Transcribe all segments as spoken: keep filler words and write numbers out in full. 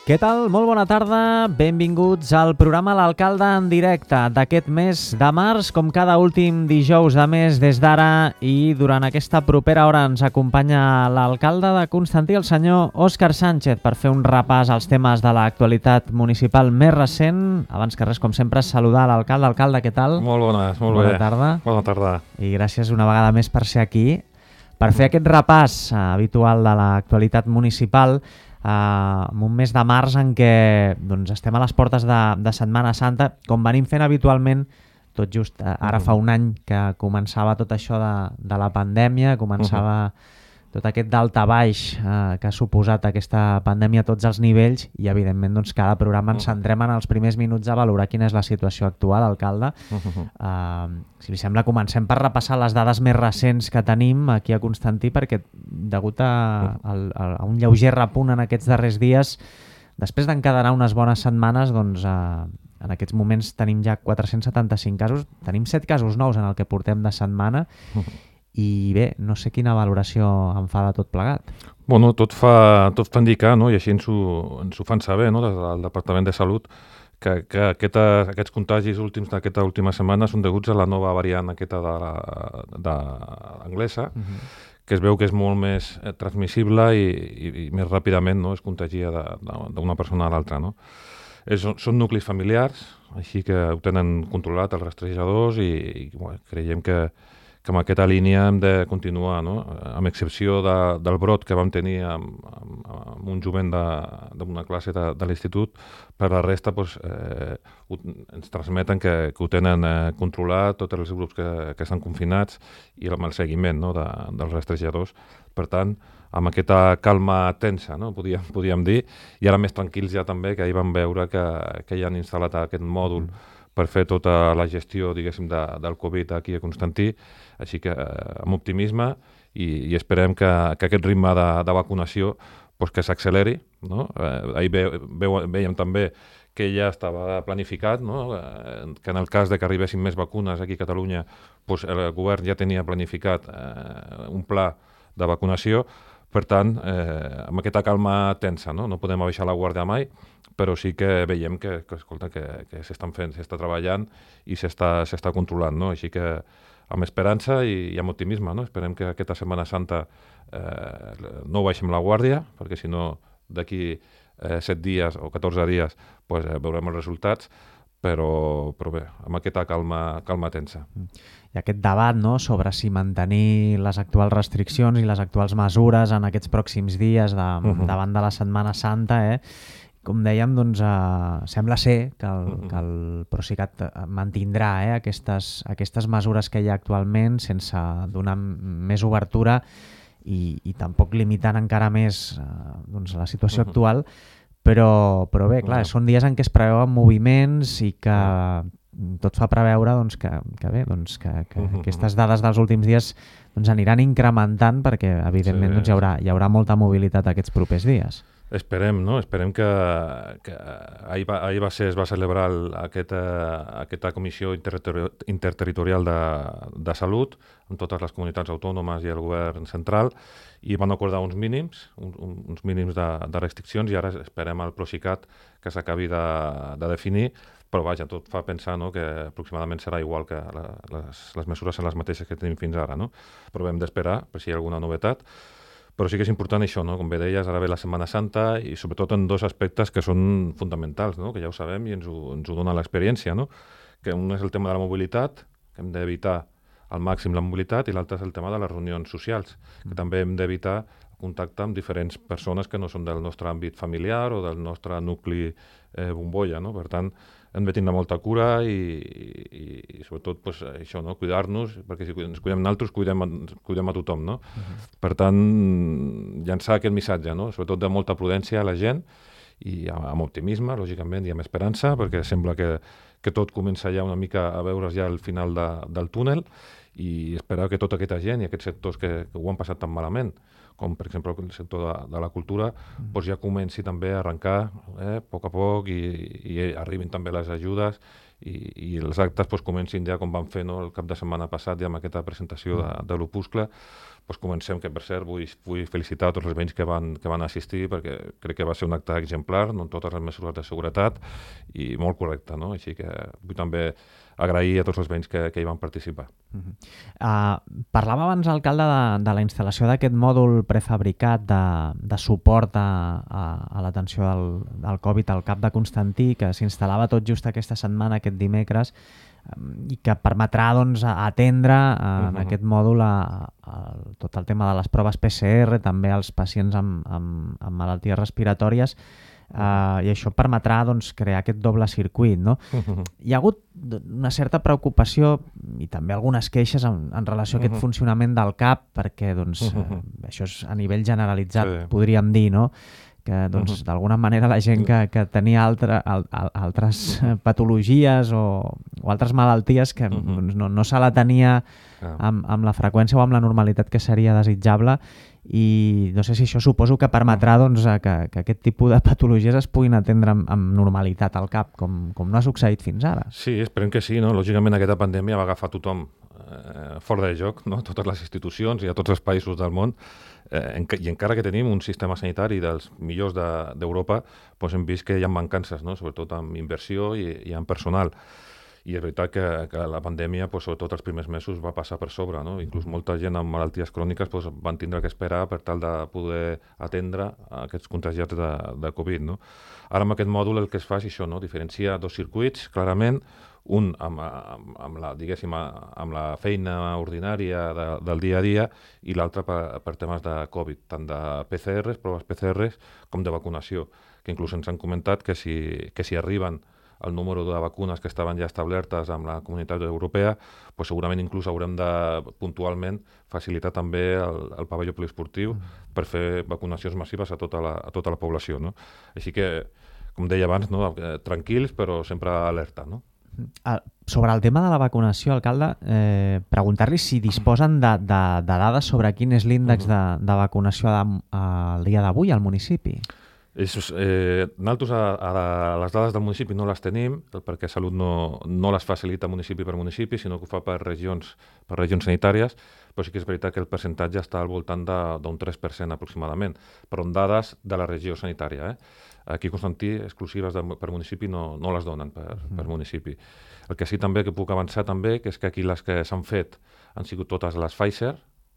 Què tal? Molt bona tarda, benvinguts al programa L'Alcalde en directe d'aquest mes de març, com cada últim dijous de mes des d'ara, i durant aquesta propera hora ens acompanya l'alcalde de Constantí, el senyor Òscar Sánchez, per fer un repàs als temes de l'actualitat municipal més recent. Abans que res, com sempre, saludar l'alcalde. Alcalde, què tal? Molt bones, molt bona bé. Tarda. Bona tarda. I gràcies una vegada més per ser aquí, per fer aquest repàs eh, habitual de l'actualitat municipal, Uh, en un mes de març en què doncs, estem a les portes de, de Setmana Santa, com venim fent habitualment, tot just uh, ara fa un any que començava tot això de, de la pandèmia, començava uh-huh. tot aquest daltabaix uh, que ha suposat aquesta pandèmia a tots els nivells, i evidentment doncs, cada programa ens centrem en els primers minuts a valorar quina és la situació actual, alcalde. Uh-huh. Uh, si li sembla, comencem per repassar les dades més recents que tenim aquí a Constantí, perquè degut a, a, a un lleuger repunt en aquests darrers dies, després d'encadenar unes bones setmanes, doncs, uh, en aquests moments tenim ja quatre-cents setanta-cinc casos, tenim set casos nous en el que portem de setmana, uh-huh. i bé, no sé quina valoració en fa de tot plegat. Bueno, tot fa, tot fa indicar, no? I així ens ho, ens ho fan saber, no? Des del Departament de Salut, que, que aquesta, aquests contagis últims d'aquesta última setmana són deguts a la nova variant aquesta de, de anglesa, uh-huh. que es veu que és molt més transmissible i, i, i més ràpidament, no? Es contagia d'una persona a l'altra, no? És, són nuclis familiars, així que ho tenen controlat els rastrejadors, i, i bueno, creiem que que amb aquesta línia hem de continuar, no? Amb excepció de, del brot que vam tenir amb, amb, amb un jovent d'una classe de, de l'institut, per la resta doncs, eh, ho, ens transmeten que, que ho tenen eh, controlat, tots els grups que, que estan confinats, i amb el seguiment, no? de, dels rastrejadors. Per tant, amb aquesta calma tensa, no? podíem, podíem dir, i ara més tranquils ja també, que ahir vam veure que, que ja han instal·lat aquest mòdul per fer tota la gestió, diguéssim, de, del Covid aquí a Constantí, així que eh, amb optimisme, i, i esperem que, que aquest ritme de, de vacunació pues, que s'acceleri, no? Eh, ahir ve, ve, veiem també que ja estava planificat, no? eh, que en el cas de que arribessin més vacunes aquí a Catalunya, pues, el govern ja tenia planificat eh, un pla de vacunació. Per tant, eh, amb aquesta calma tensa, no? No podem abaixar la guàrdia mai, però sí que veiem que, que, escolta, que, que s'estan fent, s'està treballant i s'està s'està controlant, no? Així que amb esperança i, i amb optimisme, no? Esperem que aquesta Setmana Santa eh, no baixem la guàrdia, perquè si no d'aquí eh, set dies o catorze dies pues, eh, veurem els resultats, però, però bé, amb aquesta calma, calma tensa. I aquest debat, no?, sobre si mantenir les actuals restriccions i les actuals mesures en aquests pròxims dies de, uh-huh. davant de la Setmana Santa, eh? Com dèiem, doncs, eh, sembla ser que el, uh-huh. que el Procicat mantindrà eh, aquestes, aquestes mesures que hi ha actualment sense donar més obertura i, i tampoc limitant encara més eh, doncs, la situació uh-huh. actual, però, però bé, clar, uh-huh. són dies en què es preveuen moviments i que tot fa preveure doncs, que, que, bé, doncs, que, que uh-huh. aquestes dades dels últims dies doncs, aniran incrementant, perquè evidentment sí, doncs, hi, haurà, hi haurà molta mobilitat aquests propers dies. Esperem, no? Esperem que, que ahir, va, ahir va ser, es va celebrar el, aquesta, aquesta comissió interterritorial, interterritorial de, de salut amb totes les comunitats autònomes i el govern central, i van acordar uns mínims, uns, uns mínims de, de restriccions, i ara esperem al Procicat que s'acabi de, de definir, però vaja, tot fa pensar, no?, que aproximadament serà igual, que la, les, les mesures són les mateixes que tenim fins ara, no? Però hem d'esperar per si hi ha alguna novetat. Però sí que és important això, no? Com bé deies, ara ve la Setmana Santa, i sobretot en dos aspectes que són fonamentals, no? Que ja ho sabem i ens ho, ens ho dona l'experiència, no? Que un és el tema de la mobilitat, que hem d'evitar al màxim la mobilitat, i l'altre és el tema de les reunions socials, que també hem d'evitar contacte amb diferents persones que no són del nostre àmbit familiar o del nostre nucli eh, bombolla, no? Per tant, hem de tenir molta cura i, i, i sobretot pues, això, no? Cuidar-nos, perquè si ens cuidem nosaltres, cuidem, cuidem a tothom, no? Uh-huh. Per tant, llançar aquest missatge, no? Sobretot de molta prudència a la gent, i amb optimisme, lògicament, i amb esperança, perquè sembla que, que tot comença ja una mica a veure's ja al final de, del túnel, i esperar que tota aquesta gent i aquests sectors que, que ho han passat tan malament, com per exemple el sector de, de la cultura, mm. doncs ja comenci també a arrencar eh, a poc a poc i, i arribin també les ajudes i, i els actes doncs, comencin ja com van fer no, el cap de setmana passat ja amb aquesta presentació de, de l'Opuscle. Doncs comencem, que per cert vull, vull felicitar a tots els veïns que van, que van assistir perquè crec que va ser un acte exemplar, no, amb totes les mesures de seguretat i molt correcte, no? Així que vull també agrair a tots els veïns que, que hi van participar. Uh-huh. uh, parlava abans, alcalde, de, de la instal·lació d'aquest mòdul prefabricat de, de suport a, a, a l'atenció del, del Covid al Cap de Constantí, que s'instal·lava tot just aquesta setmana, aquest dimecres, i que permetrà doncs, atendre uh, en uh-huh. aquest mòdul a, a, a tot el tema de les proves P C R, també als pacients amb, amb, amb malalties respiratòries, uh, i això permetrà doncs, crear aquest doble circuit. No? Uh-huh. Hi ha hagut una certa preocupació i també algunes queixes en, en relació a aquest uh-huh. funcionament del C A P, perquè doncs, uh-huh. uh, això és a nivell generalitzat, sí. podríem dir, no? que doncs, uh-huh. d'alguna manera la gent que, que tenia altre, al, al, altres uh-huh. patologies o, o altres malalties que uh-huh. doncs, no, no se la tenia uh-huh. amb, amb la freqüència o amb la normalitat que seria desitjable, i no sé si això suposo que permetrà doncs, que, que aquest tipus de patologies es puguin atendre amb, amb normalitat al cap, com, com no ha succeït fins ara. Sí, esperem que sí. No? Lògicament aquesta pandèmia va agafar tothom eh, fora de joc, no? Totes les institucions i a tots els països del món. Eh, en, I encara que tenim un sistema sanitari dels millors d'Europa, de, doncs hem vist que hi ha mancances, no? Sobretot en inversió i, i en personal. I és veritat que, que la pandèmia, doncs, sobretot els primers mesos, va passar per sobre. No? Inclús molta gent amb malalties cròniques doncs, van tindre que esperar per tal de poder atendre aquests contagiats de, de Covid. No? Ara amb aquest mòdul el que es fa és això, no? Diferenciar dos circuits, clarament, un amb, amb, amb, la, diguéssim, amb la feina ordinària de, del dia a dia i l'altre per, per temes de Covid, tant de P C Rs, proves P C Rs, com de vacunació, que inclús ens han comentat que si, que si arriben el número de vacunes que estaven ja establertes amb la comunitat europea, pues segurament inclús haurem de puntualment facilitar també el, el pavelló poliesportiu mm. per fer vacunacions massives a tota la, a tota la població. No? Així que, com deia abans, no? Tranquils però sempre alerta, no? Sobre el tema de la vacunació, alcalde, eh, preguntar-li si disposen de, de, de dades sobre quin és l'índex de, de vacunació al dia d'avui al municipi. És, eh, nosaltres a, a les dades del municipi no les tenim perquè Salut no, no les facilita municipi per municipi, sinó que ho fa per regions, per regions sanitàries, però sí que és veritat que el percentatge està al voltant d'un tres per cent aproximadament, però en dades de la regió sanitària. Eh? Aquí a Constantí, exclusives de, per municipi, no, no les donen per, mm. per municipi. El que sí també que puc avançar també, que és que aquí les que s'han fet han sigut totes les Pfizer,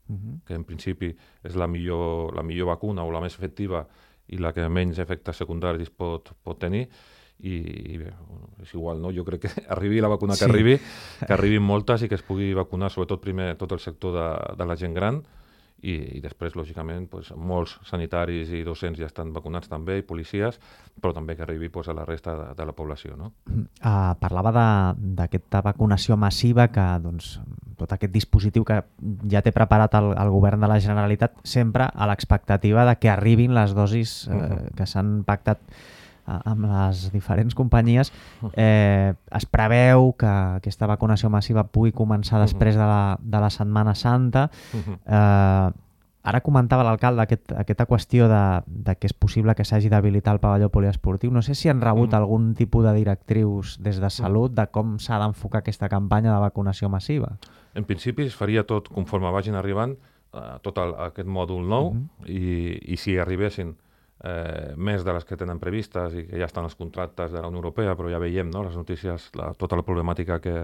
mm-hmm. que en principi és la millor, la millor vacuna o la més efectiva i la que menys efectes secundaris pot, pot tenir, i, i bé, és igual, no? Jo crec que arribi la vacuna que sí. arribi, que arribin moltes i que es pugui vacunar sobretot primer tot el sector de, de la gent gran, i, i després, lògicament, doncs, molts sanitaris i docents ja estan vacunats també, i policies, però també que arribi doncs, a la resta de, de la població. No? Uh, parlava d'aquesta vacunació massiva, que doncs, tot aquest dispositiu que ja té preparat el, el govern de la Generalitat, sempre a l'expectativa de que arribin les dosis eh, uh-huh. que s'han pactat amb les diferents companyies. Eh, es preveu que aquesta vacunació massiva pugui començar després de la, de la Setmana Santa. Eh, ara comentava l'alcalde aquest, aquesta qüestió de, de que és possible que s'hagi d'habilitar el pavelló poliesportiu. No sé si han rebut mm. algun tipus de directrius des de Salut de com s'ha d'enfocar aquesta campanya de vacunació massiva. En principi es faria tot conforme vagin arribant uh, tot el, aquest mòdul nou mm-hmm. i, i si arribessin Eh, més de les que tenen previstes i que ja estan els contractes de la Unió Europea, però ja veiem no, les notícies, la, tota la problemàtica que,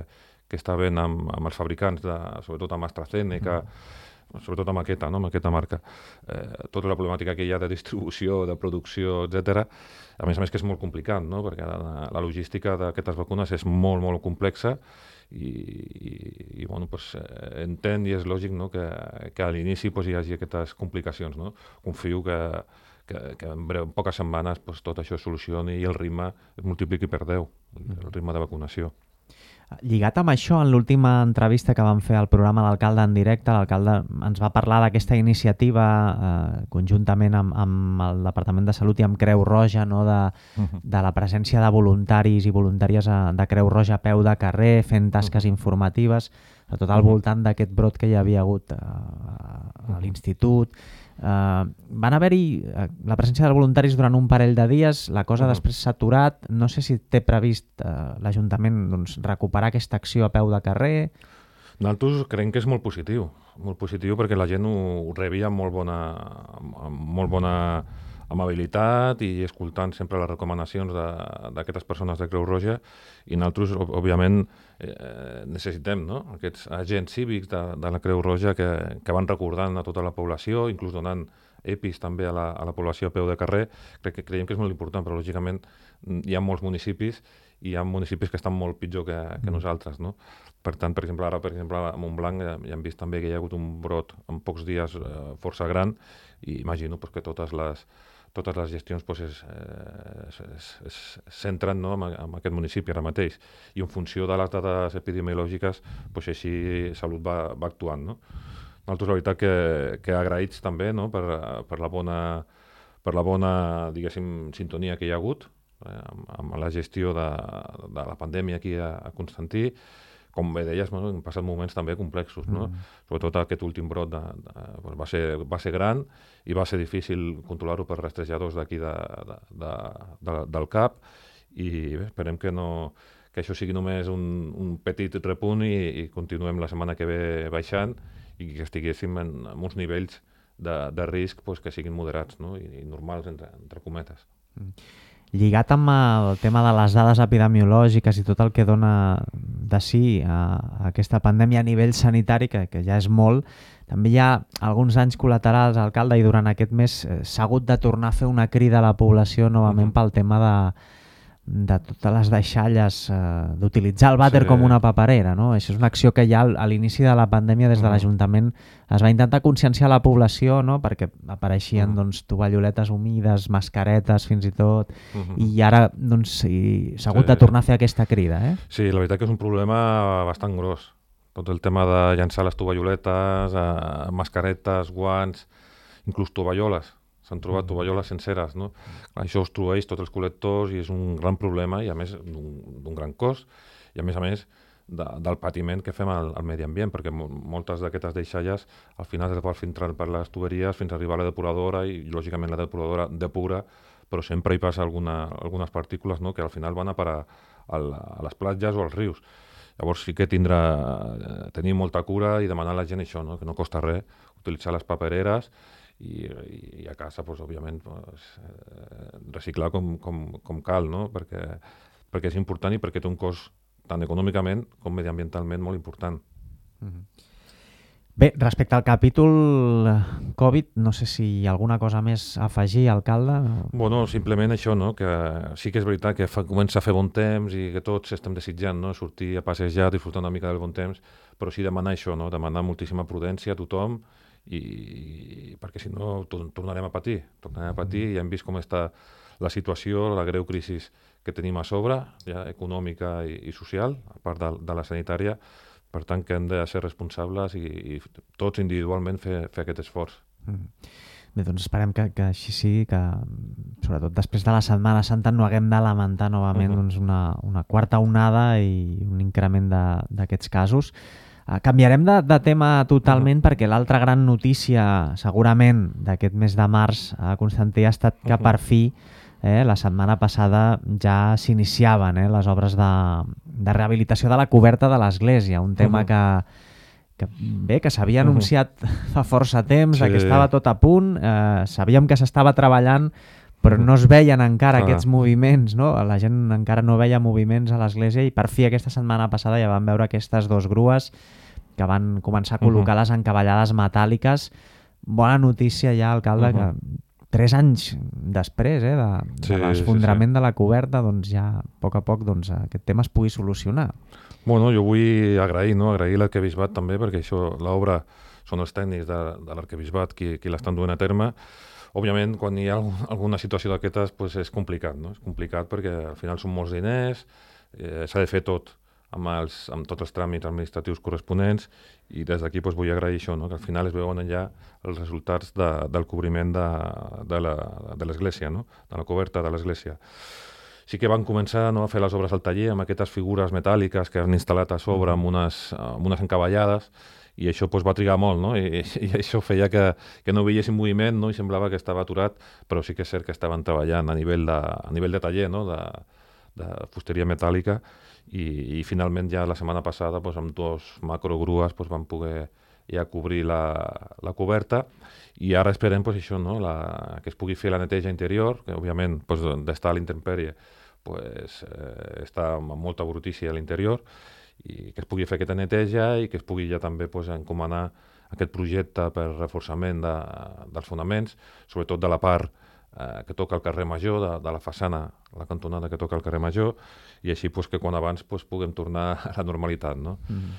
que està havent amb, amb els fabricants, de, sobretot amb AstraZeneca, mm. sobretot amb aquesta, no, amb aquesta marca. Eh, tota la problemàtica que hi ha de distribució, de producció, etcètera. A més a més que és molt complicat, no, perquè la, la logística d'aquestes vacunes és molt, molt complexa i, i, i bueno, pues, eh, entén i és lògic no, que, que a l'inici pues, hi hagi aquestes complicacions. No? Confio que que, que en, breu, en poques setmanes pues, tot això es solucioni i el ritme es multipliqui per deu, el ritme de vacunació. Lligat amb això, en l'última entrevista que vam fer al programa L'Alcalde en directe, l'alcalde ens va parlar d'aquesta iniciativa eh, conjuntament amb, amb el Departament de Salut i amb Creu Roja, no? de, uh-huh. de la presència de voluntaris i voluntàries a, de Creu Roja a peu de carrer, fent tasques uh-huh. informatives sobretot al voltant d'aquest brot que hi havia hagut a, a l'institut. Uh, van haver-hi uh, la presència de voluntaris durant un parell de dies, la cosa uh-huh. després s'ha aturat. No sé si té previst uh, l'Ajuntament doncs, recuperar aquesta acció a peu de carrer. Nosaltres creiem que és molt positiu, molt positiu perquè la gent ho, ho rebia amb molt bona, amb molt bona amabilitat i escoltant sempre les recomanacions d'aquestes persones de Creu Roja, i nosaltres, òbviament, eh, necessitem, no?, aquests agents cívics de, de la Creu Roja que, que van recordant a tota la població, inclús donant EPIs també a la, a la població a peu de carrer. Crec que creiem que és molt important, però lògicament hi ha molts municipis i hi ha municipis que estan molt pitjor que, que nosaltres, no? Per tant, per exemple, ara, per exemple, a Montblanc ja, ja hem vist també que hi ha hagut un brot en pocs dies eh, força gran, i imagino pues, que totes les, totes les gestions pues, es, es, es, es centren, no?, en, en aquest municipi ara mateix, i en funció de les dades epidemiològiques pues, així Salut va, va actuant, no? Nosaltres, la veritat, que, que agraïts també, no?, per, per la bona, per la bona, diguéssim, sintonia que hi ha hagut eh, amb, amb la gestió de, de la pandèmia aquí a, a Constantí. Com bé deies, bueno, han passat moments també complexos, no? Mm. Sobretot aquest últim brot de, de, doncs va, ser, va ser gran i va ser difícil controlar-ho per rastrejadors d'aquí de, de, de, de, del C A P, i bé, esperem que, no, que això sigui només un, un petit repunt i, i continuem la setmana que ve baixant i que estiguéssim en, en uns nivells de, de risc pues, que siguin moderats, no?, i, i normals, entre, entre cometes. Mm. Lligat amb el tema de les dades epidemiològiques i tot el que dona de si a, a aquesta pandèmia a nivell sanitari, que, que ja és molt, també hi ha alguns danys col·laterals, alcalde, i durant aquest mes eh, s'ha hagut de tornar a fer una crida a la població novament uh-huh. pel tema de, de totes les deixalles, eh, d'utilitzar el vàter sí. com una paperera, no? Això és una acció que ja a l'inici de la pandèmia des de uh-huh. l'Ajuntament es va intentar conscienciar la població, no?, perquè apareixien uh-huh. doncs, tovalloletes humides, mascaretes fins i tot, uh-huh. i ara doncs, s'ha hagut sí. de tornar a fer aquesta crida. Eh? Sí, la veritat que és un problema bastant gros. Tot el tema de llançar les tovalloletes, eh, mascaretes, guants, inclús tovalloles. S'han trobat tovalloles senceres, no? Això obstrueix tots els col·lectors i és un gran problema, i a més d'un gran cost, i a més a més de, del patiment que fem al, al medi ambient, perquè moltes d'aquestes deixalles al final es van filtrar per les tuberies fins a arribar a la depuradora, i lògicament la depuradora depura, però sempre hi passa alguna, algunes partícules, no?, que al final van a parar a, la, a les platges o als rius. Llavors sí que tindrà, tenir molta cura i demanar a la gent això, no?, que no costa res utilitzar les papereres, i, i a casa, pues, òbviament, pues, eh, reciclar com, com, com cal, no?, perquè, perquè és important i perquè té un cost tant econòmicament com mediambientalment molt important. Mm-hmm. Bé, respecte al capítol Covid, no sé si hi ha alguna cosa més a afegir, alcalde? Bueno, simplement això, no?, que sí que és veritat que fa, comença a fer bon temps i que tots estem desitjant, no?, sortir a passejar, disfrutar una mica del bon temps, però sí demanar això, no?, demanar moltíssima prudència a tothom, i perquè si no tornarem a patir, tornarem a patir, i hem vist com està la situació, la greu crisi que tenim a sobre, ja econòmica i, i social, a part de, de la sanitària. Per tant, que hem de ser responsables i, i tots individualment fer, fer aquest esforç. Mm. Bé, doncs esperem que, que així sigui, que sobretot després de la Setmana Santa no haguem de lamentar novament uh-huh. doncs una, una quarta onada i un increment d'aquests casos. Uh, canviarem de, de tema totalment uh-huh. perquè l'altra gran notícia segurament d'aquest mes de març a Constantí ha estat que uh-huh. per fi eh, la setmana passada ja s'iniciaven eh, les obres de, de rehabilitació de la coberta de l'església, un tema uh-huh. que, que bé, que s'havia uh-huh. anunciat fa força temps, sí. que estava tot a punt, eh, sabíem que s'estava treballant, però no es veien encara ah. aquests moviments, no? La gent encara no veia moviments a l'església, i per fi aquesta setmana passada ja vam veure aquestes dues grues que van començar a col·locar uh-huh. les encavallades metàl·liques. Bona notícia ja, alcalde, uh-huh. que tres anys després eh, de, sí, de l'esfondrament sí, sí. de la coberta, doncs ja a poc a poc doncs, aquest tema es pugui solucionar. Bueno, jo vull agrair, no? agrair l'Arquebisbat també, perquè això, l'obra són els tècnics de, de l'Arquebisbat qui, qui l'estan duent a terme. Òbviament, quan hi ha alguna situació d'aquestes, pues és complicat, no? És complicat perquè al final són molts diners, eh, s'ha de fer tot amb, els, amb tots els tràmits administratius corresponents, i des d'aquí pues, vull agrair això, no? Que al final es veuen ja els resultats de, del cobriment de, de l'església, no? De la coberta de l'església. sí que van començar, no, a fer les obres al taller amb aquestes figures metàl·liques que han instal·lat a sobre amb unes, amb unes encavallades, i això pues, va trigar molt, no? I, i això feia que, que no veiessin moviment, no? I semblava que estava aturat, però sí que és cert que estaven treballant a nivell de, a nivell de taller, no? de, de fusteria metàl·lica, i, i finalment ja la setmana passada pues, amb dos macrogrues pues, van poder ja cobrir la, la coberta, i ara esperem pues, això, no? la, que es pugui fer la neteja interior, que òbviament pues, d'estar a l'intemperie pues, eh, està amb molta brutícia a l'interior, i que es pugui fer aquesta neteja i que es pugui ja també pues, encomanar aquest projecte per reforçament de, dels fonaments, sobretot de la part eh, que toca el carrer Major, de, de la façana, la cantonada que toca el carrer Major, i així pues, que quan abans pues, puguem tornar a la normalitat. No? Mm.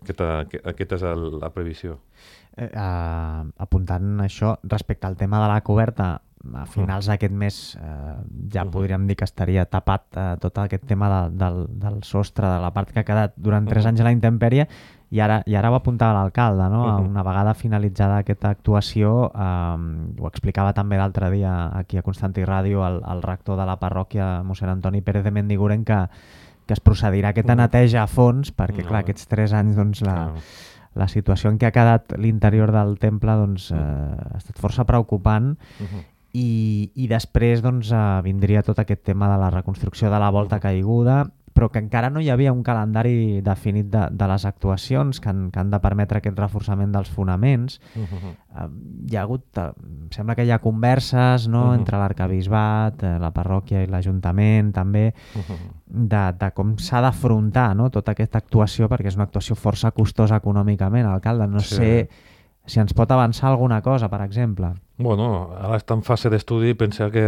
Aquesta, aquesta és el, la previsió. Eh, eh, apuntant això, respecte al tema de la coberta, a finals d'aquest mes eh, ja uh-huh. podríem dir que estaria tapat eh, tot aquest tema de, del, del sostre, de la part que ha quedat durant tres uh-huh. anys a la intempèrie, i ara, i ara ho apuntava l'alcalde, no? Uh-huh. Una vegada finalitzada aquesta actuació, eh, ho explicava també l'altre dia aquí a Constantí Ràdio el, el rector de la parròquia, mossèn Antoni Pérez de Mendiguren, que, que es procedirà a aquesta uh-huh. neteja a fons, perquè uh-huh. clar, aquests tres anys doncs, la, uh-huh. la situació en què ha quedat l'interior del temple doncs, eh, ha estat força preocupant. Uh-huh. I, i després doncs, eh, vindria tot aquest tema de la reconstrucció de la volta caiguda, però que encara no hi havia un calendari definit de, de les actuacions que han, que han de permetre aquest reforçament dels fonaments. Uh-huh. Eh, hi ha hagut, eh, sembla que hi ha converses, no?, uh-huh. entre l'arcabisbat, eh, la parròquia i l'Ajuntament també, uh-huh. de, de com s'ha d'afrontar, no?, tota aquesta actuació, perquè és una actuació força costosa econòmicament, alcalde. No sí. sé si ens pot avançar alguna cosa, per exemple. Bueno, ara està en fase d'estudi i pensa que,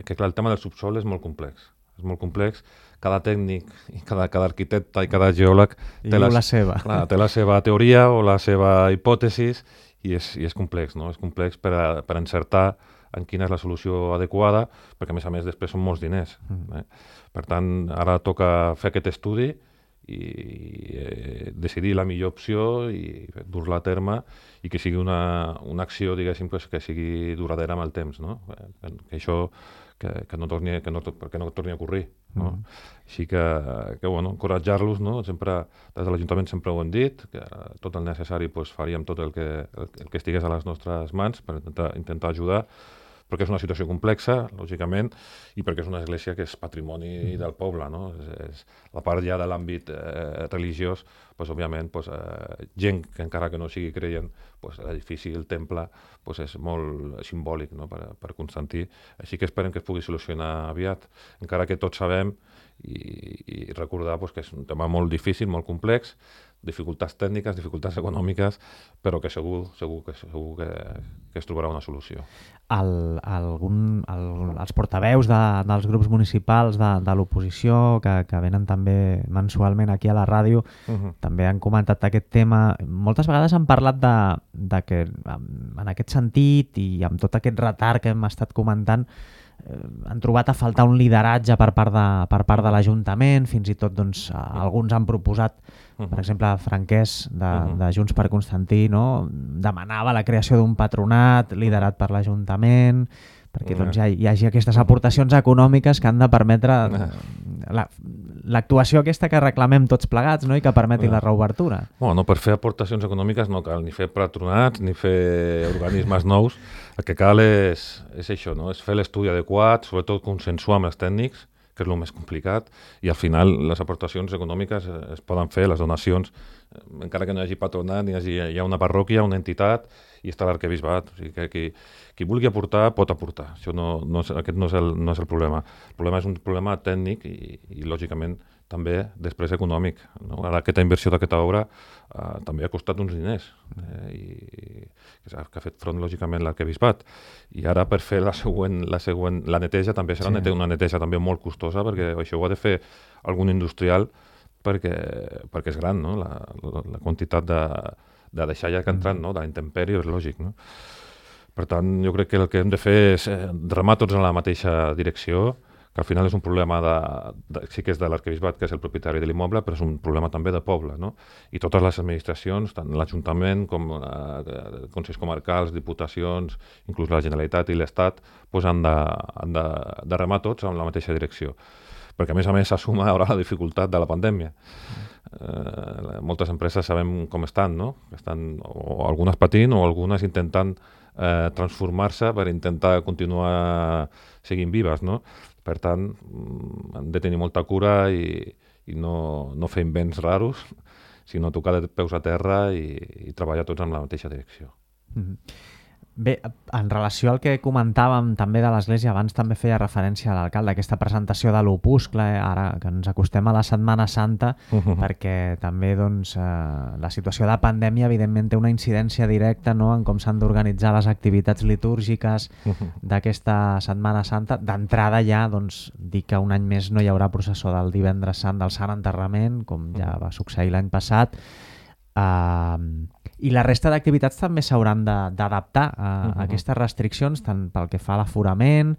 que clar, el tema del subsol és molt complex. És molt complex. Cada tècnic, i cada, cada arquitecte i cada geòleg té la, la, seva. Clar, té la seva teoria o la seva hipòtesis, i és, i és complex, no? És complex per, a, per encertar en quina és la solució adequada, perquè a més a més després són molts diners. Mm. Eh? Per tant, ara toca fer aquest estudi i eh, decidir la millor opció i dur-la a terme, i que sigui una, una acció, diguéssim, que, que sigui duradera amb el temps, no? Que, que això que, que no torni, que no, que no torni a ocórrer, no? Mm. Així que, que bueno, encoratjar-los, no? Sempre, des de l'Ajuntament sempre ho hem dit, que tot el necessari pues, faríem tot el que, el, el que estigués a les nostres mans per intentar, intentar ajudar, perquè és una situació complexa, lògicament, i perquè és una església que és patrimoni mm. del poble, no? És, és, la part ja de l'àmbit eh, religiós, pues, òbviament, pues, eh, gent que encara que no sigui creient, pues, l'edifici, el temple, pues, és molt simbòlic, no?, per, per Constantí. Així que esperem que es pugui solucionar aviat, encara que tots sabem i, i recordar pues, que és un tema molt difícil, molt complex, dificultats tècniques, dificultats econòmiques, però que segur, segur, que, segur que, que es trobarà una solució. El, algun, el, els portaveus de, dels grups municipals de, de l'oposició que, que venen també mensualment aquí a la ràdio uh-huh. també han comentat aquest tema. Moltes vegades han parlat de, de que en aquest sentit i amb tot aquest retard que hem estat comentant eh, han trobat a faltar un lideratge per part de, per part de l'Ajuntament. Fins i tot doncs, alguns han proposat, per exemple, Franquès de, uh-huh. de Junts per Constantí, no? Demanava la creació d'un patronat liderat per l'Ajuntament perquè uh-huh. doncs, hi, hi hagi aquestes aportacions econòmiques que han de permetre la, l'actuació aquesta que reclamem tots plegats, no? I que permeti uh-huh. la reobertura. Bueno, per fer aportacions econòmiques no cal ni fer patronats ni fer organismes nous. El que cal és, és això, no? És fer l'estudi adequat, sobretot consensuar amb els tècnics, que és el més complicat, i al final les aportacions econòmiques es poden fer, les donacions, encara que no hi hagi patronat, ni hi hagi, hi ha una parròquia, una entitat, i està l'arquebisbat. O sigui que qui, qui vulgui aportar, pot aportar. Això no, no és, aquest no és, el, no és el problema. El problema és un problema tècnic i, i lògicament, també després econòmic. No? Ara aquesta inversió d'aquesta obra eh, també ha costat uns diners eh, i que ha fet front lògicament l'arquebisbat. I ara per fer la següent, la següent, la neteja també serà sí. una neteja també molt costosa, perquè això ho ha de fer algun industrial perquè, perquè és gran, no? la, la, la quantitat de, de deixar ja que entrant, no? de la intempèrie, és lògic. No? Per tant, jo crec que el que hem de fer és remar tots en la mateixa direcció, que al final és un problema de, de sí que és de l'arquebisbat, que és el propietari de l'immoble, però és un problema també de poble, no? I totes les administracions, tant l'Ajuntament com eh, consells comarcals, diputacions, inclús la Generalitat i l'Estat, pues han, de, han de, de remar tots en la mateixa direcció. Perquè a més a més s'assuma ara la dificultat de la pandèmia. Eh, moltes empreses sabem com estan, no? Estan o algunes patint o algunes intentant eh, transformar-se per intentar continuar seguint vives, no? Per tant, han de tenir molta cura i, i no, no fer invents raros, sinó tocar de peus a terra i, i treballar tots en la mateixa direcció. Mm-hmm. Bé, en relació al que comentàvem també de l'Església, abans també feia referència a l'alcalde, aquesta presentació de l'opuscle, ara que ens acostem a la Setmana Santa, uh-huh. perquè també doncs, eh, la situació de pandèmia evidentment té una incidència directa, no?, en com s'han d'organitzar les activitats litúrgiques uh-huh. d'aquesta Setmana Santa. D'entrada ja doncs, dir que un any més no hi haurà processó del Divendres Sant del Sant Enterrament, com ja va succeir l'any passat. Uh, I la resta d'activitats també s'hauran d'adaptar a, uh-huh. a aquestes restriccions, tant pel que fa a l'aforament,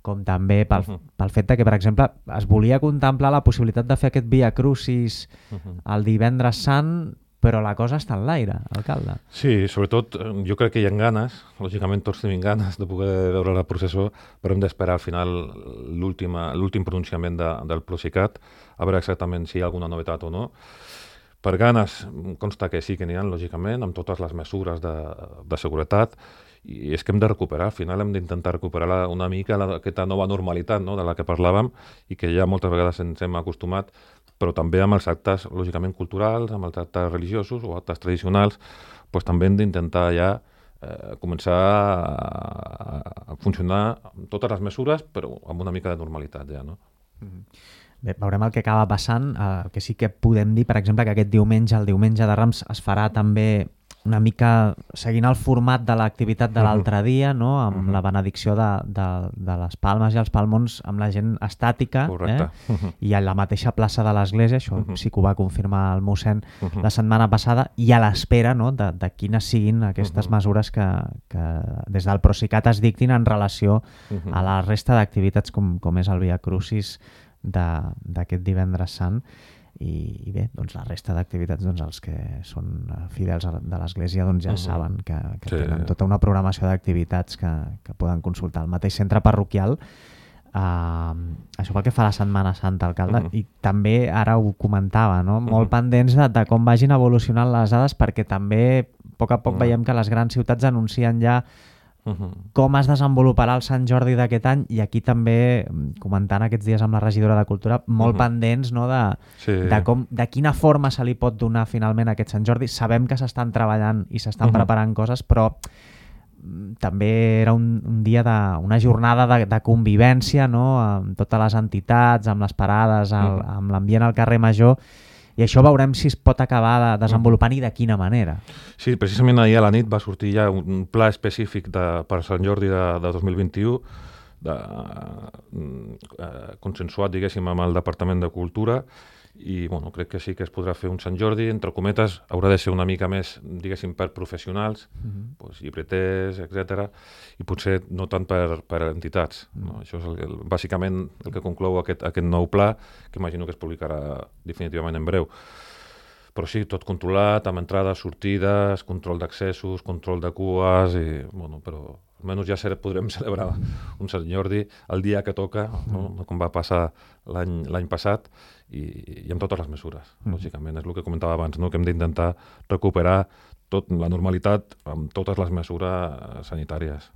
com també pel, uh-huh. pel fet de que, per exemple, es volia contemplar la possibilitat de fer aquest Via Crucis uh-huh. el Divendres Sant, però la cosa està en l'aire, alcalde. Sí, sobretot jo crec que hi ha ganes, lògicament tots tenim ganes de poder veure la processó, però hem d'esperar al final l'últim pronunciament de, del Procicat, a veure exactament si hi ha alguna novetat o no. Per ganes, consta que sí que n'hi ha, lògicament, amb totes les mesures de, de seguretat, i és que hem de recuperar, al final hem d'intentar recuperar la, una mica la, aquesta nova normalitat, no?, de la que parlàvem i que ja moltes vegades ens hem acostumat, però també amb els actes, lògicament, culturals, amb els actes religiosos o actes tradicionals, doncs també hem d'intentar ja eh, començar a, a funcionar amb totes les mesures, però amb una mica de normalitat ja, no? Mm-hmm. Bé, veurem el que acaba passant. El que sí que podem dir, per exemple, que aquest diumenge, el diumenge de Rams, es farà també una mica seguint el format de l'activitat de l'altre dia, no?, amb uh-huh. la benedicció de, de, de les palmes i els palmons amb la gent estàtica, eh? uh-huh. i a la mateixa plaça de l'església, això uh-huh. sí que ho va confirmar el mossèn uh-huh. la setmana passada, i a l'espera, no?, de, de quines siguin aquestes uh-huh. mesures que, que des del Procicat es dictin en relació uh-huh. a la resta d'activitats com, com és el Via Crucis d'aquest Divendres Sant. I, i bé, doncs la resta d'activitats, doncs els que són fidels de l'Església doncs ja uh-huh. saben que, que sí. tenen tota una programació d'activitats que, que poden consultar al mateix centre parroquial. Uh, això pel que fa a la Setmana Santa, alcalde, uh-huh. i també ara ho comentava, no? Molt uh-huh. pendents de, de com vagin evolucionant les dades, perquè també a poc a poc uh-huh. veiem que les grans ciutats anuncien ja Uh-huh. com es desenvoluparà el Sant Jordi d'aquest any, i aquí també, comentant aquests dies amb la regidora de Cultura, molt uh-huh. pendents, no?, de, sí. de, com, de quina forma se li pot donar finalment aquest Sant Jordi. Sabem que s'estan treballant i s'estan uh-huh. preparant coses, però també era un, un dia de, una jornada de, de convivència, no?, amb totes les entitats, amb les parades, el, uh-huh. amb l'ambient al carrer Major. I això veurem si es pot acabar de desenvolupant i de quina manera. Sí, precisament ahir a la nit va sortir ja un pla específic de, per Sant Jordi de, de dos mil vint-i-u, de, eh, consensuat, diguéssim, amb el Departament de Cultura, i bueno, crec que sí que es podrà fer un Sant Jordi, entre cometes, haurà de ser una mica més, diguéssim, per professionals, uh-huh. pues, llibreters, etcètera, i potser no tant per, per entitats. Uh-huh. No? Això és el, el, bàsicament el que conclou aquest, aquest nou pla, que imagino que es publicarà definitivament en breu. Però sí, tot controlat, amb entrades, sortides, control d'accessos, control de cues, i, bueno, però almenys ja podrem celebrar un Sant Jordi el dia que toca, no? Com va passar l'any l'any passat, i, i amb totes les mesures, mm. lògicament. És el que comentava abans, no? Que hem d'intentar recuperar tot, la normalitat amb totes les mesures sanitàries.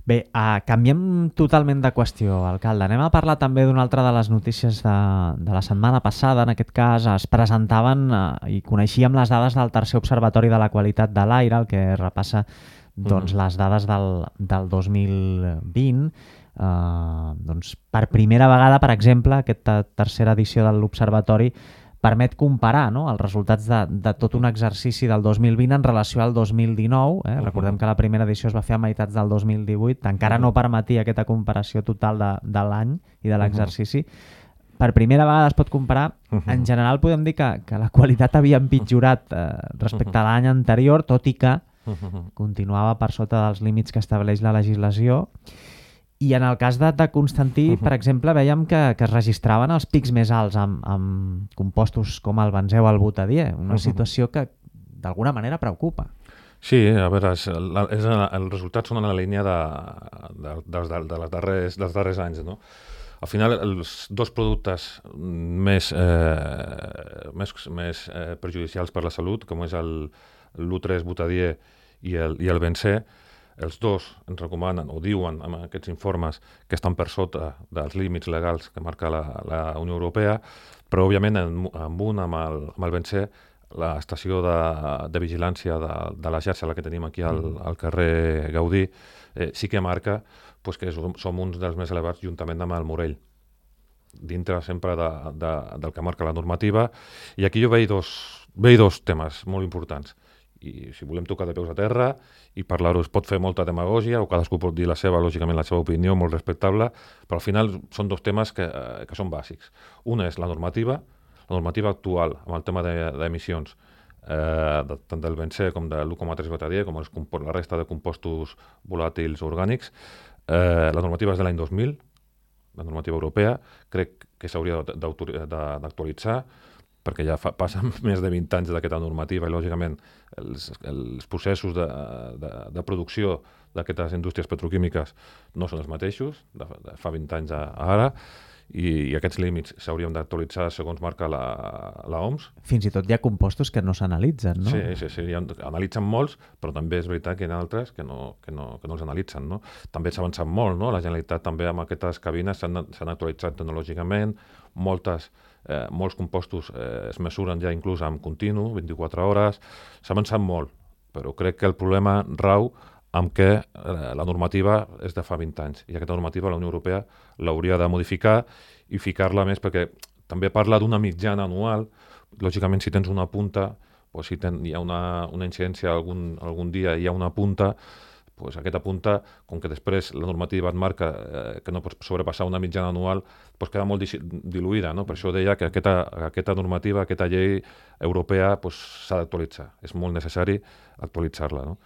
Bé, uh, canviem totalment de qüestió, alcalde. Anem a parlar també d'una altra de les notícies de, de la setmana passada. En aquest cas es presentaven uh, i coneixíem les dades del tercer Observatori de la Qualitat de l'Aire, el que repassa doncs, mm-hmm. les dades del, del dos mil vint. Uh, doncs, per primera vegada, per exemple, aquesta tercera edició de l'Observatori permet comparar, no?, els resultats de, de tot un exercici del dos mil vint en relació al dos mil dinou. Eh? Uh-huh. Recordem que la primera edició es va fer a meitats del dos mil divuit, encara uh-huh. no permetia aquesta comparació total de, de l'any i de l'exercici. Uh-huh. Per primera vegada es pot comparar. Uh-huh. En general podem dir que, que la qualitat havia empitjorat eh, respecte uh-huh. a l'any anterior, tot i que uh-huh. continuava per sota dels límits que estableix la legislació. I en el cas de, de Constantí, uh -huh. per exemple, veiem que, que es registraven els pics més alts amb, amb compostos com el benzè o el butadiè, una uh -huh. situació que d'alguna manera preocupa. Sí, a veure, és, la, és, els resultats són en la línia de, de, de, de, de les darrers, dels darrers anys, no? Al final, els dos productes més, eh, més, més eh, perjudicials per la salut, com és l'u tres butadiè i el, i el benzè, els dos ens recomanen o diuen en aquests informes que estan per sota dels límits legals que marca la, la Unió Europea, però òbviament en, en un, amb el, amb el benzè, l'estació de, de vigilància de, de la xarxa, la que tenim aquí al, al carrer Gaudí, eh, sí que marca pues, que som, som uns dels més elevats juntament amb el Morell, dintre sempre de, de, del que marca la normativa. I aquí jo veig dos, veig dos temes molt importants. I si volem tocar de peus a terra i parlar-ho, es pot fer molta demagògia o cadascú pot dir la seva, lògicament la seva opinió, molt respectable, però al final són dos temes que, que són bàsics. Un és la normativa, la normativa actual amb el tema d'emissions, eh, de, tant del benzè com de l'u coma tres butadiè, com els, la resta de compostos volàtils orgànics. Eh, la normativa és de l'any dos mil, la normativa europea, crec que s'hauria d'actualitzar, perquè ja fa, passen més de vint anys d'aquesta normativa i, lògicament, els, els processos de, de, de producció d'aquestes indústries petroquímiques no són els mateixos, de, de fa vint anys a, a ara, i, i aquests límits s'haurien d'actualitzar segons marca la, la O M S. Fins i tot hi ha compostos que no s'analitzen, no? Sí, sí, sí, ha, analitzen molts, però també és veritat que hi ha altres que no, que no, que no els analitzen, no? També s'ha avançat molt, no? La Generalitat també amb aquestes cabines s'han actualitzat tecnològicament, moltes Eh, molts compostos eh, es mesuren ja inclús amb continu, vint-i-quatre hores, s'ha avançat molt, però crec que el problema rau amb què eh, la normativa és de fa vint anys i aquesta normativa la Unió Europea l'hauria de modificar i ficar-la més, perquè també parla d'una mitjana anual. Lògicament, si tens una punta, o si ten, hi ha una, una incidència algun, algun dia, hi ha una punta, pues aquesta punta, com que després la normativa et marca eh, que no pots sobrepassar una mitjana anual, pues queda molt diluïda, no? Per això deia que aquesta, aquesta normativa, aquesta llei europea s'ha pues, d'actualitzar. És molt necessari actualitzar-la, no?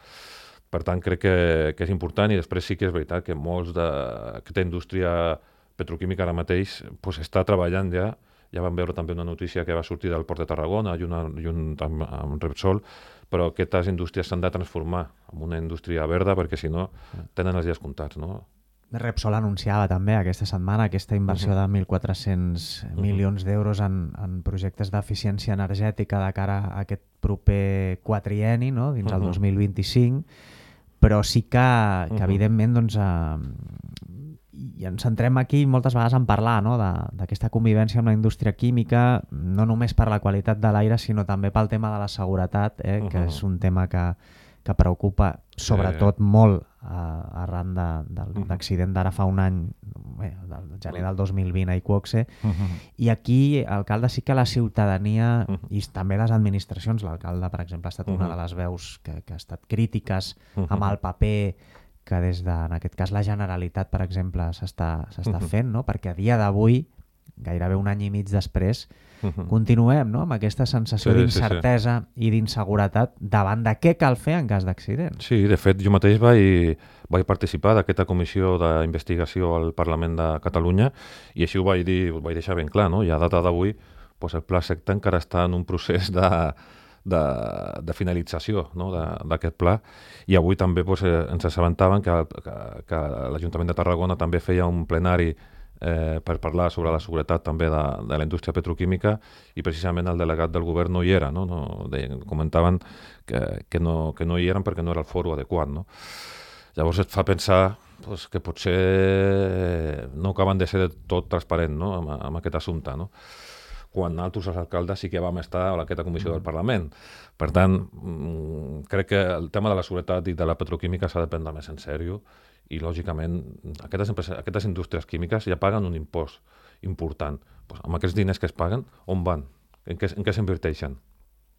Per tant, crec que, que és important, i després sí que és veritat que molts d'aquesta indústria petroquímica ara mateix pues, està treballant ja. Ja vam veure també una notícia que va sortir del Port de Tarragona i una, i un amb, amb Repsol, però aquestes indústries s'han de transformar en una indústria verda perquè si no tenen els dies comptats, no? Repsol anunciava també aquesta setmana aquesta inversió uh-huh. de mil quatre-cents uh-huh. milions d'euros en, en projectes d'eficiència energètica de cara a aquest proper quatrienni, no? Dins uh-huh. el dos mil vint-i-cinc, però sí que, que uh-huh. evidentment doncs, eh, i ens centrem aquí moltes vegades en parlar, no? d'aquesta convivència amb la indústria química, no només per la qualitat de l'aire, sinó també pel tema de la seguretat, eh? uh-huh. que és un tema que, que preocupa sobretot sí. molt eh, arran de, de, uh-huh. d'accident d'ara fa un any, bé, del gener del dos mil vint a Iqoxe, uh-huh. i aquí, alcalde, sí que la ciutadania uh-huh. i també les administracions, l'alcalde, per exemple, ha estat uh-huh. una de les veus que, que ha estat crítiques uh-huh. amb el paper que des de, en aquest cas, la Generalitat, per exemple, s'està s'està uh-huh. fent, no? Perquè a dia d'avui, gairebé un any i mig després, uh-huh. continuem, no? amb aquesta sensació sí, d'incertesa sí, sí. i d'inseguretat davant de què cal fer en cas d'accident. Sí, de fet, jo mateix vaig, vaig participar d'aquesta comissió d'investigació al Parlament de Catalunya i així ho vaig dir, ho vaig deixar ben clar, no? I a data d'avui, doncs el Pla Secta encara està en un procés de... De, de finalització, no? d'aquest pla, i avui també pues, eh, ens assabentaven que, que, que l'Ajuntament de Tarragona també feia un plenari eh, per parlar sobre la seguretat també de, de la indústria petroquímica i precisament el delegat del govern no hi era, no? No, deien, comentaven que, que, no, que no hi eren perquè no era el foro adequat. No? Llavors et fa pensar pues, que potser no acaben de ser tot transparent, no? amb, amb aquest assumpte, no? Quan nosaltres, els alcaldes, sí que vam estar a aquesta comissió del Parlament. Per tant, crec que el tema de la seguretat i de la petroquímica s'ha de prendre més en sèrio i, lògicament, aquestes, empreses, aquestes indústries químiques ja paguen un impost important. Pues, amb aquests diners que es paguen, on van? En què, en què s'inverteixen?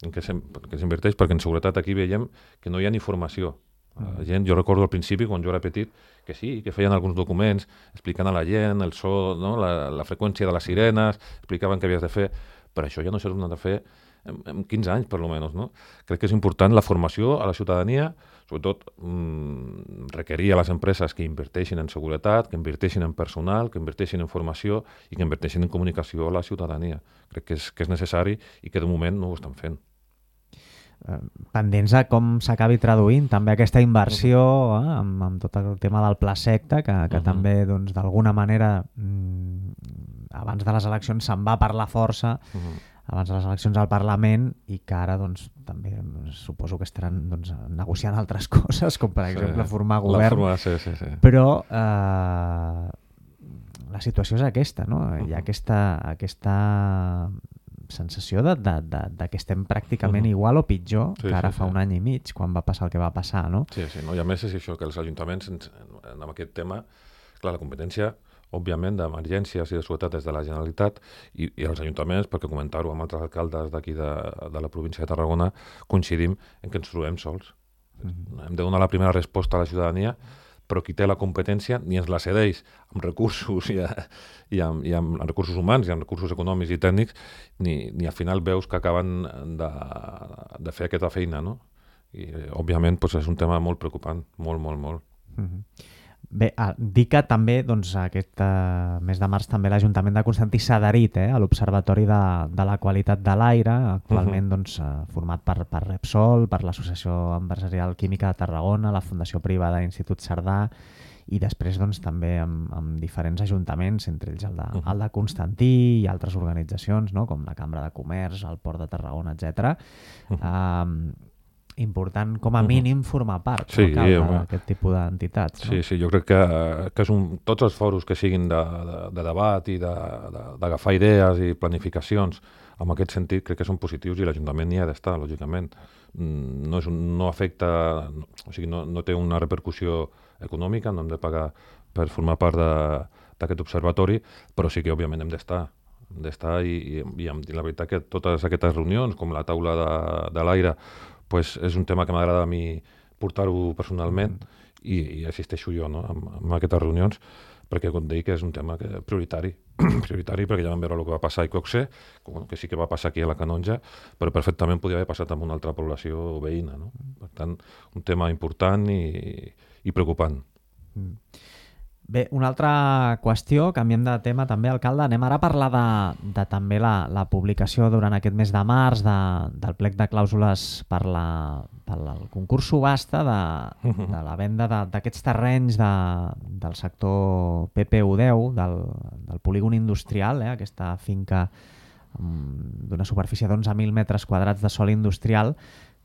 En què s'inverteix? Perquè en seguretat aquí veiem que no hi ha ni formació. La gent, jo recordo al principi, quan jo era petit, que sí, que feien alguns documents explicant a la gent el so, no? la, la freqüència de les sirenes, explicaven què havies de fer, però això ja no s'ha de fer en, en quinze anys, per almenys, no? Crec que és important la formació a la ciutadania, sobretot mmm, requerir a les empreses que inverteixin en seguretat, que inverteixin en personal, que inverteixin en formació i que inverteixin en comunicació a la ciutadania. Crec que és, que és necessari i que de moment no ho estan fent. Pendents a com s'acabi traduint també aquesta inversió eh, amb, amb tot el tema del pla secta, que, que uh -huh. també doncs, d'alguna manera mmm, abans de les eleccions se'n va parlar força, uh -huh. abans de les eleccions al Parlament, i que ara doncs, també doncs, suposo que estaran doncs, negociant altres coses, com per exemple sí, formar govern, forma, sí, sí, sí. però eh, la situació és aquesta, no? Uh -huh. Hi ha aquesta, aquesta sensació de, de, de, de que estem pràcticament uh -huh. igual o pitjor sí, que ara sí, fa sí. un any i mig, quan va passar el que va passar, no? Sí, sí, no? I a més és això, que els ajuntaments, en, en aquest tema, clar, la competència, òbviament, d'emergències i de seguretat des de la Generalitat i, i els ajuntaments, perquè comentar-ho amb altres alcaldes d'aquí de, de la província de Tarragona, coincidim en que ens trobem sols. Uh -huh. Hem de donar la primera resposta a la ciutadania, però qui té la competència ni ens la cedeix amb recursos i, a, i, amb, i amb recursos humans i amb recursos econòmics i tècnics, ni, ni al final veus que acaben de, de fer aquesta feina, no? I, òbviament, doncs, és un tema molt preocupant, molt, molt, molt. Mm-hmm. Bé, ah, dir que també, doncs, aquest uh, mes de març també l'Ajuntament de Constantí s'ha adherit eh, a l'Observatori de, de la Qualitat de l'Aire, actualment uh-huh. doncs, uh, format per, per Repsol, per l'Associació Empresarial Química de Tarragona, la Fundació Privada Institut Cerdà, i després doncs, també amb, amb diferents ajuntaments, entre ells el de, uh-huh. el de Constantí i altres organitzacions, no? Com la Cambra de Comerç, el Port de Tarragona, etcètera. Uh-huh. Um, important, com a mínim, formar part sí, no, d'aquest tipus d'entitats. No? Sí, sí, jo crec que, que és un, tots els foros que siguin de, de, de debat i d'agafar de, idees i planificacions, en aquest sentit crec que són positius i l'Ajuntament hi ha d'estar, lògicament. No, és un, no afecta, no, o sigui, no, no té una repercussió econòmica, no hem de pagar per formar part d'aquest observatori, però sí que, òbviament, hem d'estar hem d'estar i, i, i, i la veritat que totes aquestes reunions, com la taula de, de l'aire, pues és un tema que m'agrada a mi portar-ho personalment i, i assisteixo jo no? en, en aquestes reunions, perquè com dic és un tema que, prioritari, prioritari perquè ja vam veure el que va passar a Icoxe, que sí que va passar aquí a la Canonja, però perfectament podia haver passat amb una altra població veïna. No? Per tant, un tema important i, i preocupant. Mm. Bé, una altra qüestió, canviem de tema també, alcalde, anem ara a parlar de, de també la, la publicació durant aquest mes de març de, del plec de clàusules per, la, per el concurs subhasta de, de la venda d'aquests terrenys de, del sector P P U deu, del, del polígon industrial, eh, aquesta finca um, d'una superfície d'onze mil metres quadrats de sòl industrial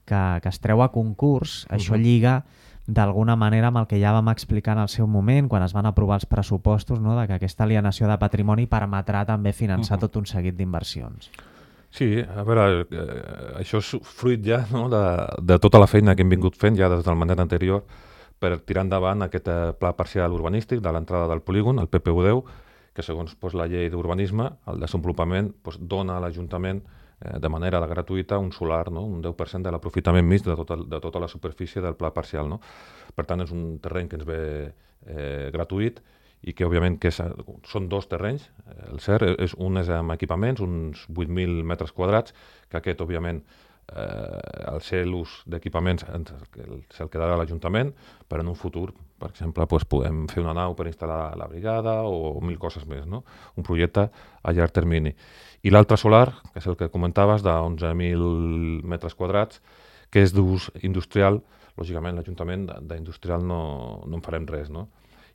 que, que es treu a concurs. Uh-huh. Això lliga d'alguna manera amb el que ja vam explicar en el seu moment, quan es van aprovar els pressupostos, no? De que aquesta alienació de patrimoni permetrà també finançar uh-huh. tot un seguit d'inversions. Sí, a veure, eh, això és fruit ja no? de, de tota la feina que hem vingut fent ja des del mandat anterior per tirar endavant aquest pla parcial urbanístic de l'entrada del polígon, el P P U deu, que segons pues, la llei d'urbanisme, el desenvolupament pues, dona a l'Ajuntament de manera gratuïta un solar, no? Un deu per cent de l'aprofitament mig de tota, de tota la superfície del pla parcial. No? Per tant, és un terreny que ens ve eh, gratuït i que, òbviament, que és, són dos terrenys. El cert, és, un és amb equipaments, uns vuit mil metres quadrats, que aquest, òbviament, eh, al ser l'ús d'equipaments se'l quedarà a l'Ajuntament, però en un futur, per exemple, doncs, podem fer una nau per instal·lar la brigada o mil coses més. No? Un projecte a llarg termini. I l'altre solar, que és el que comentaves, d'onze mil metres quadrats, que és d'ús industrial. Lògicament, l'Ajuntament d'industrial no, no en farem res, no?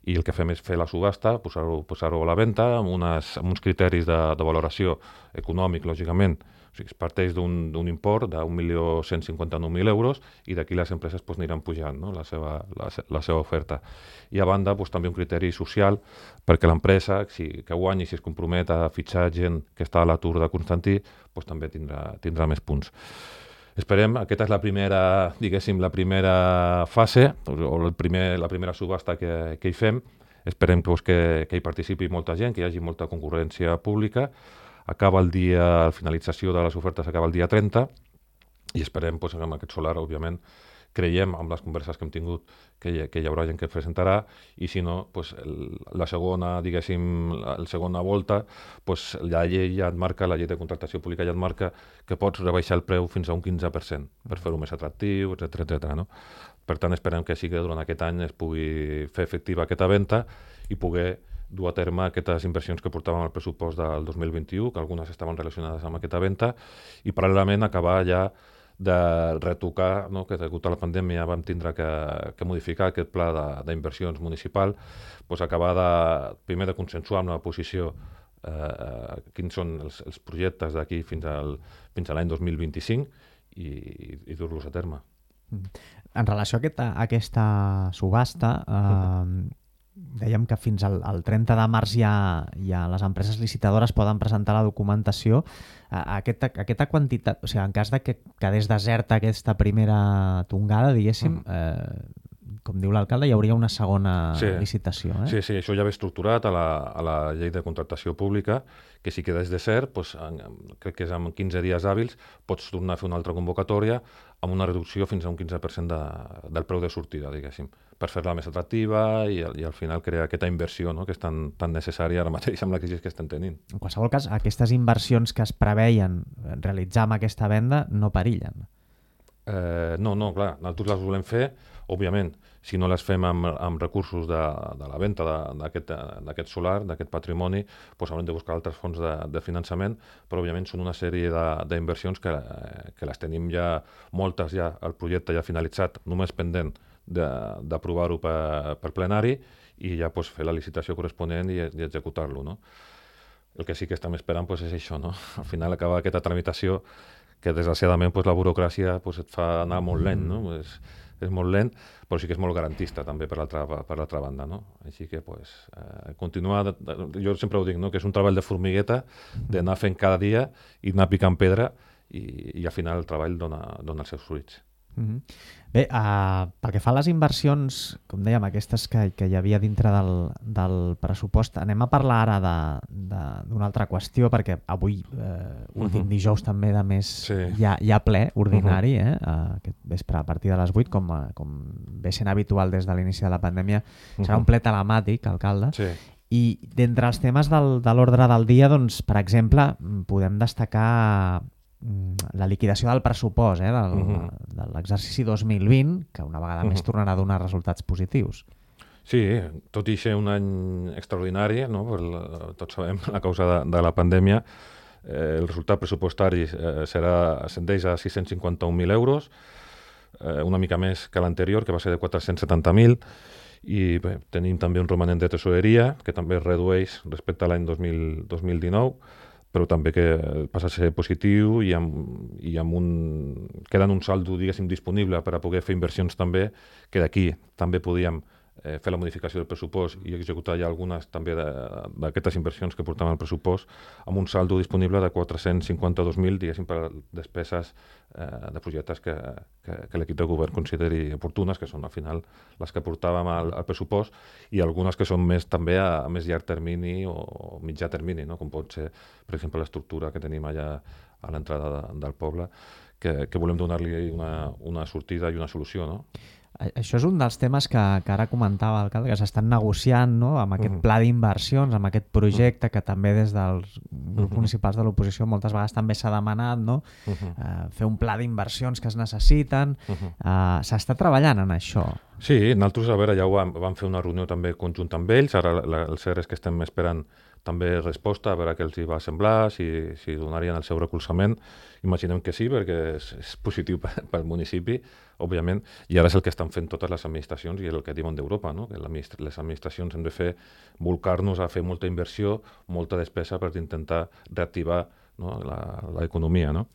I el que fem és fer la subhasta, posar-ho posar-ho a la venda, amb, unes, amb uns criteris de, de valoració econòmic, lògicament. O sigui, es parteix d'un import d'un milió cent cinquanta-nou mil euros i d'aquí les empreses pues, aniran pujant no? la, seva, la, la seva oferta. I a banda pues, també un criteri social perquè l'empresa si, que guanyi, si es compromet a fitxar gent que està a l'atur de Constantí, pues, també tindrà, tindrà més punts. Esperem, aquesta és la primera, diguéssim, la primera fase, o el primer, la primera subhasta que, que hi fem. Esperem pues, que, que hi participi molta gent, que hi hagi molta concurrència pública. Acaba el dia, la finalització de les ofertes acaba el dia trenta i esperem, pues, amb aquest solar, òbviament, creiem, amb les converses que hem tingut, que hi, que hi haurà gent que presentarà, i si no, pues, el, la segona, diguéssim, la, la segona volta, pues, la llei ja et marca, la llei de contractació pública ja et marca que pots rebaixar el preu fins a un quinze per cent per fer-ho més atractiu, etcètera etcètera, no? Per tant, esperem que sí que durant aquest any es pugui fer efectiva aquesta venda i poder dur a terme aquestes inversions que portàvem al pressupost del dos mil vint-i-u, que algunes estaven relacionades amb aquesta venda, i paral·lelament acabar ja de retocar, no, que degut a la pandèmia vam tindre que, que modificar aquest pla d'inversions municipal, doncs acabar de, primer de consensuar amb la posició eh, quins són els, els projectes d'aquí fins, al, fins a l'any dos mil vint-i-cinc i, i, i dur-los a terme. En relació a aquesta, a aquesta subhasta, eh, dèiem que fins al, al trenta de març ja, ja les empreses licitadores poden presentar la documentació. Aquesta, aquesta quantitat, o sigui, en cas de que quedés deserta aquesta primera tongada, diguéssim, eh, com diu l'alcalde, hi hauria una segona sí. licitació. Eh? Sí, sí, això ja ve estructurat a la, a la llei de contractació pública, que si quedés desert, doncs, en, crec que és en quinze dies hàbils, pots tornar a fer una altra convocatòria amb una reducció fins a un quinze per cent de, del preu de sortida, diguéssim, per fer-la més atractiva i, i al final crear aquesta inversió, no?, que és tan, tan necessària ara mateix amb la crisi que estem tenint. En qualsevol cas, aquestes inversions que es preveien realitzar amb aquesta venda no perillen. Eh, no, no, clar, nosaltres les volem fer, òbviament, si no les fem amb, amb recursos de, de la venda d'aquest solar, d'aquest patrimoni, doncs haurem de buscar altres fonts de, de finançament, però òbviament són una sèrie d'inversions que, que les tenim ja, moltes ja, el projecte ja finalitzat, només pendent d'aprovar-ho per, per plenari i ja doncs, fer la licitació corresponent i, i executar-lo, no? El que sí que estem esperant doncs, és això, no? Al final acabar aquesta tramitació que desgraciadament pues, la burocràcia pues, et fa anar molt lent, no? És, és molt lent, però sí que és molt garantista també per l'altra per l'altra banda, no? Així que pues, eh, continuar, jo sempre ho dic, no? Que és un treball de formigueta, d'anar fent cada dia i anar picant pedra i, i al final el treball dona, dona els seus fruits. Mm-hmm. Bé, uh, pel que fa a les inversions, com dèiem, aquestes que, que hi havia dintre del, del pressupost, anem a parlar ara d'una altra qüestió, perquè avui, eh, últim uh-huh. dijous també de mes, sí. hi, ha, hi ha ple ordinari, uh-huh. eh, uh, aquest vespre a partir de les vuit, com, com ve sent habitual des de l'inici de la pandèmia, uh-huh. serà un ple telemàtic, alcalde, sí. I d'entre els temes del, de l'ordre del dia, doncs, per exemple, podem destacar la liquidació del pressupost eh, del, uh-huh. de l'exercici dos mil vint, que una vegada uh-huh. més tornarà a donar resultats positius. Sí, tot i ser un any extraordinari, no? Per la, tots sabem la causa de, de la pandèmia, eh, el resultat pressupostari eh, serà ascendeix a sis-cents cinquanta-un mil euros, eh, una mica més que l'anterior, que va ser de quatre-cents setanta mil, i bé, tenim també un romanent de tesoreria, que també es redueix respecte a l'any dos mil dinou, però també que passa a ser positiu i amb, i amb un... queda un saldo, diguéssim, disponible per a poder fer inversions també, que d'aquí també podíem eh, fer la modificació del pressupost i executar ja algunes també d'aquestes inversions que portaven al pressupost, amb un saldo disponible de quatre-cents cinquanta-dos mil, diguéssim, per despeses eh, de projectes que, que, que l'equip de govern consideri oportunes, que són al final les que portàvem al, al pressupost, i algunes que són més també a, a més llarg termini o, o mitjà termini, no? Com pot ser, per exemple, l'estructura que tenim allà a l'entrada de, del poble, que, que volem donar-li una, una sortida i una solució, no? Això és un dels temes que, que ara comentava l'alcalde, que s'estan negociant, no?, amb aquest uh-huh. pla d'inversions, amb aquest projecte uh-huh. que també des dels grups uh-huh. municipals de l'oposició moltes vegades també s'ha demanat, no?, uh-huh. uh, fer un pla d'inversions que es necessiten. Uh-huh. Uh, s'està treballant en això. Sí, nosaltres, a veure, ja ho vam, vam fer una reunió també conjunta amb ells, ara la, el cert és que estem esperant també resposta, a veure què els hi va semblar, si, si donarien el seu recolzament. Imaginem que sí, perquè és, és positiu pel municipi, òbviament, i ara és el que estan fent totes les administracions i el que diuen d'Europa, no? Que les administracions hem de fer, volcar-nos a fer molta inversió, molta despesa per intentar reactivar, no?, l'economia, no?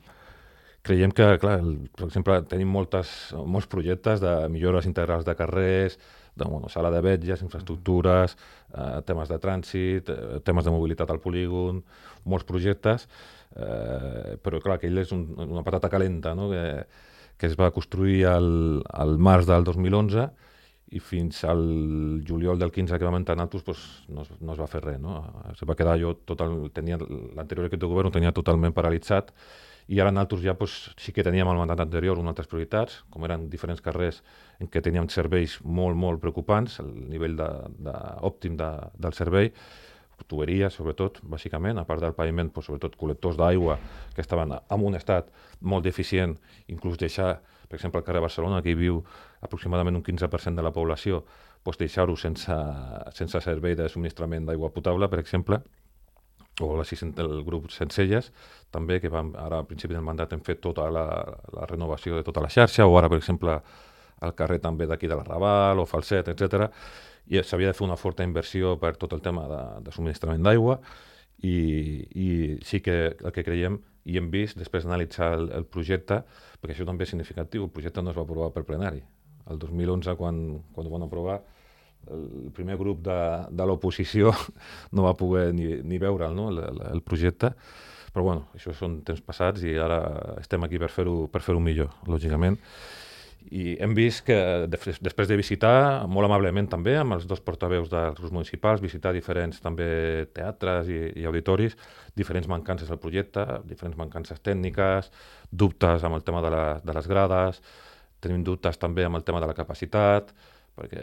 Creiem que, clar, el, per exemple, tenim moltes, molts projectes de millores integrals de carrers, de bueno, sala de vetlles, infraestructures, eh, temes de trànsit, eh, temes de mobilitat al polígon, molts projectes, eh, però clar, aquell és un, una patata calenta, no?, que, que es va construir al, al març del dos mil onze i fins al juliol del quinze que vam entrar nosaltres pues, no, es, no es va fer res. No? Se va quedar jo, total, tenia l'anterior equip de govern ho tenia totalment paralitzat i ara nosaltres ja pues, sí que teníem el mandat anterior unes altres prioritats, com eren diferents carrers en què teníem serveis molt, molt preocupants, el nivell de, de, òptim de, del servei, tuberies, sobretot, bàsicament, a part del paviment, pues, sobretot col·lectors d'aigua que estaven en un estat molt deficient, inclús deixar, per exemple, al carrer Barcelona, que hi viu aproximadament un quinze per cent de la població, pues, deixar-ho sense, sense servei de subministrament d'aigua potable, per exemple, o el grup Sencelles, també, que vam, ara al principi del mandat hem fet tota la, la renovació de tota la xarxa, o ara, per exemple, al carrer també d'aquí de la Raval, o Falset, etcètera, i s'havia de fer una forta inversió per tot el tema de, de subministrament d'aigua i, i sí que el que creiem i hem vist després d'analitzar el, el projecte, perquè això també és significatiu, el projecte no es va aprovar per plenari. El dos mil onze, quan, quan ho van aprovar, el primer grup de, de l'oposició no va poder ni, ni veure'l, no? el, el projecte, però bueno, això són temps passats i ara estem aquí per fer-ho per fer-ho millor, lògicament. I hem vist que després de visitar, molt amablement també, amb els dos portaveus dels grups municipals, visitar diferents també teatres i, i auditoris, diferents mancances del projecte, diferents mancances tècniques, dubtes amb el tema de, la, de les grades, tenim dubtes també amb el tema de la capacitat, perquè,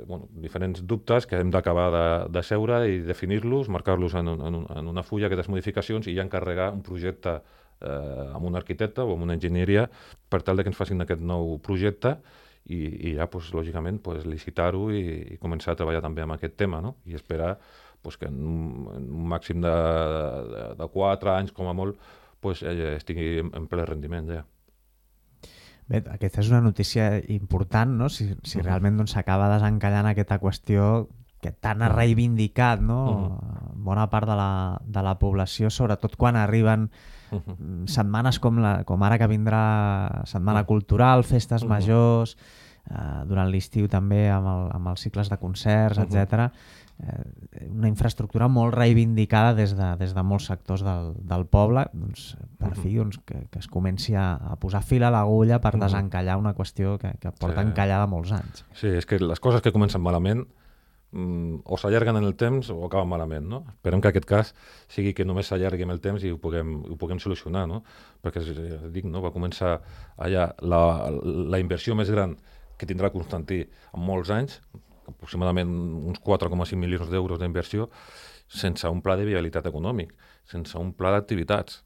bueno, diferents dubtes que hem d'acabar de, de seure i definir-los, marcar-los en, un, en, un, en una fulla, aquestes modificacions, i ja encarregar un projecte eh, amb un arquitecte o amb una enginyeria per tal de que ens facin aquest nou projecte i, i ja, pues, lògicament, pues, licitar-ho i, i començar a treballar també amb aquest tema, no? I esperar pues, que en un, en un màxim de, de, de quatre anys, com a molt, pues, eh, estigui en, en ple rendiment ja. Bé, aquesta és una notícia important, no? Si, si uh-huh. realment doncs, s'acaba desencallant aquesta qüestió que tant ha reivindicat, no? Uh-huh. Bona part de la, de la població, sobretot quan arriben uh-huh. setmanes com, la, com ara que vindrà Setmana uh-huh. Cultural, festes uh-huh. majors, eh, durant l'estiu també amb, el, amb els cicles de concerts, uh-huh. etcètera. Eh, una infraestructura molt reivindicada des de, des de molts sectors del, del poble, doncs, per uh-huh. fi doncs, que, que es comenci a, a posar fil a l'agulla per uh-huh. desencallar una qüestió que, que porta sí. encallada molts anys. Sí, és que les coses que comencen malament mm, o s'allarguen en el temps o acaben malament, no? Esperem que aquest cas sigui que només s'allargui en el temps i ho puguem, ho puguem solucionar, no? Perquè, dic, no? Va començar allà la, la inversió més gran que tindrà Constantí en molts anys, aproximadament uns quatre coma cinc milions d'euros d'inversió, sense un pla de viabilitat econòmic, sense un pla d'activitats,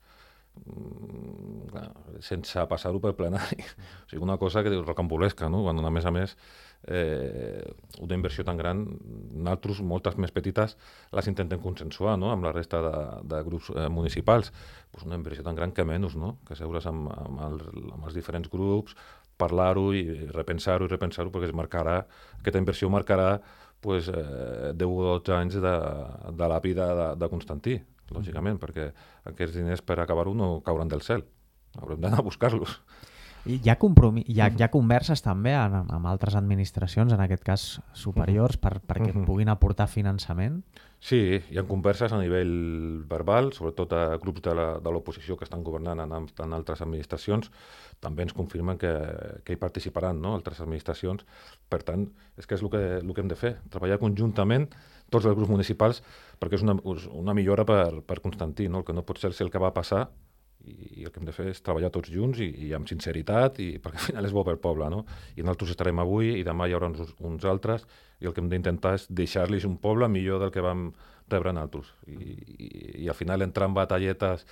sense passar-ho per plenari. O sigui, una cosa que és rocambolesca, no? Quan, a més a més, eh, una inversió tan gran, nosaltres, moltes més petites, les intentem consensuar, no? Amb la resta de, de grups eh, municipals. Pues una inversió tan gran que menys, no? Que seure's amb, amb, el, amb els diferents grups, parlar-ho i repensar-ho i repensar-ho, perquè es marcarà, aquesta inversió marcarà pues, eh, deu o dotze anys de, de la vida de, de Constantí, lògicament, perquè aquests diners per acabar-ho no cauran del cel, haurem d'anar a buscar-los. I hi ha, compromís, hi ha, hi ha converses també amb, amb altres administracions, en aquest cas superiors, per, perquè uh-huh. puguin aportar finançament? Sí, hi ha converses a nivell verbal, sobretot a grups de l'oposició que estan governant en, en altres administracions, també ens confirmen que, que hi participaran, no? Altres administracions. Per tant, és que és el que, el que hem de fer, treballar conjuntament tots els grups municipals, perquè és una, una millora per, per Constantí, no? El que no pot ser el que va passar, i el que hem de fer és treballar tots junts i, i amb sinceritat, i, perquè al final és bo pel poble, no? I nosaltres estarem avui i demà hi haurà uns, uns altres, i el que hem d'intentar és deixar-los un poble millor del que vam rebre nosaltres. I, i, i al final entrar en batalletes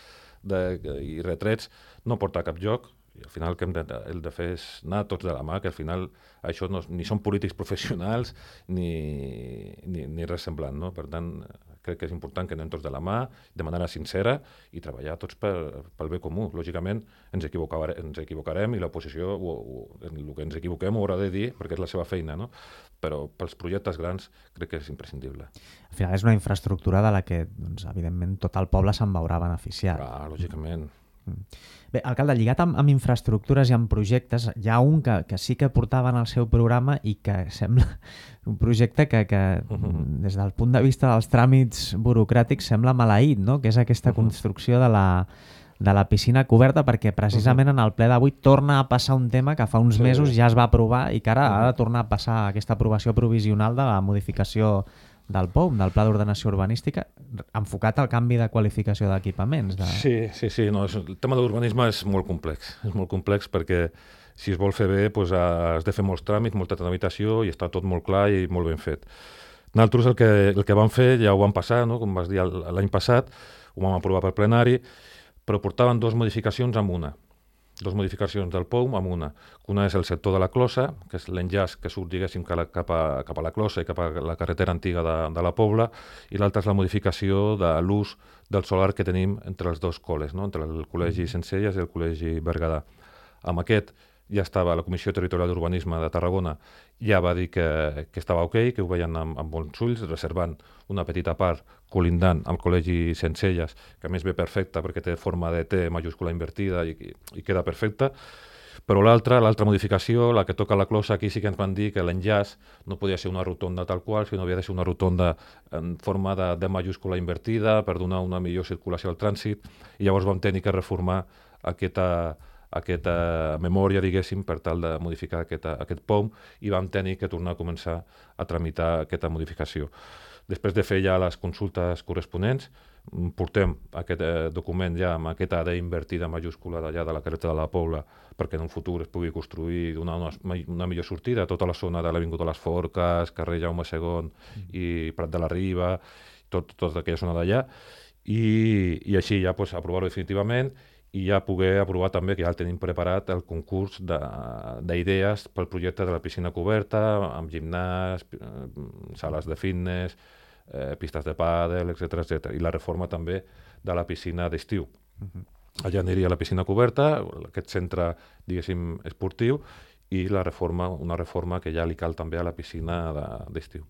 de, i retrets no porta a cap lloc, i al final el que hem de, el de fer és anar tots de la mà, que al final això no, ni són polítics professionals ni, ni, ni res semblant, no? Per tant, crec que és important que anem tots de la mà, de manera sincera, i treballar tots per, pel bé comú. Lògicament, ens, equivocare, ens equivocarem i l'oposició, el que ens equivoquem, ho haurà de dir, perquè és la seva feina, no? Però pels projectes grans crec que és imprescindible. Al final és una infraestructura de la que, doncs, evidentment, tot el poble se'n veurà beneficiat. Ah, lògicament. Bé, alcalde, lligat amb, amb infraestructures i amb projectes, hi ha un que, que sí que portaven al seu programa i que sembla un projecte que, que uh-huh. des del punt de vista dels tràmits burocràtics sembla maleït, no? Que és aquesta uh-huh. construcció de la, de la piscina coberta, perquè precisament en el ple d'avui torna a passar un tema que fa uns Sí. mesos ja es va aprovar i que ara Mhm. ha de tornar a passar aquesta aprovació provisional de la modificació del P O U, del Pla d'Ordenació Urbanística, enfocat al canvi de qualificació d'equipaments. De... Sí, sí, sí. No, és, el tema de l'urbanisme és molt complex. És molt complex perquè si es vol fer bé doncs, has de fer molts tràmits, molta tramitació i està tot molt clar i molt ben fet. Nosaltres el que, el que vam fer, ja ho vam passar, no? Com vas dir l'any passat, ho vam aprovar per plenari, però portaven dues modificacions amb una. Dos modificacions del P O U amb una. Una és el sector de la closa, que és l'enllaç que surt, diguéssim, cap a, cap a la closa i cap a la carretera antiga de, de la Pobla, i l'altra és la modificació de l'ús del solar que tenim entre els dos col·les, no? Entre el Col·legi Centcelles i el Col·legi Berguedà. Amb aquest ja estava la Comissió Territorial d'Urbanisme de Tarragona, ja va dir que, que estava ok, que ho veien amb, amb bons ulls, reservant una petita part colindant al Col·legi Centcelles, que a més ve perfecta perquè té forma de T majúscula invertida i, i queda perfecta, però l'altra, l'altra modificació, la que toca la closa, aquí sí que ens van dir que l'enllaç no podia ser una rotonda tal qual, sinó havia de ser una rotonda en forma de D majúscula invertida per donar una millor circulació al trànsit, i llavors vam tenir que reformar aquesta aquesta memòria, diguéssim, per tal de modificar aquesta, aquest P O U, i vam tenir que tornar a començar a tramitar aquesta modificació. Després de fer ja les consultes corresponents, portem aquest eh, document ja amb aquesta A D invertida majúscula d'allà de la carretera de la Pobla perquè en un futur es pugui construir i donar una, una millor sortida a tota la zona de l'Avinguda de les Forques, carrer Jaume segon i Prat de la Riba, tot, tota aquella zona d'allà, i, i així ja pues, aprovar-ho definitivament i ja poder aprovar també, que ja el tenim preparat, el concurs d'idees pel projecte de la piscina coberta, amb gimnàs, sales de fitness, eh, pistes de pàdel, etcètera, etcètera. I la reforma també de la piscina d'estiu. Uh-huh. Allà aniria la piscina coberta, aquest centre, diguéssim, esportiu, i la reforma, una reforma que ja li cal també a la piscina d'estiu.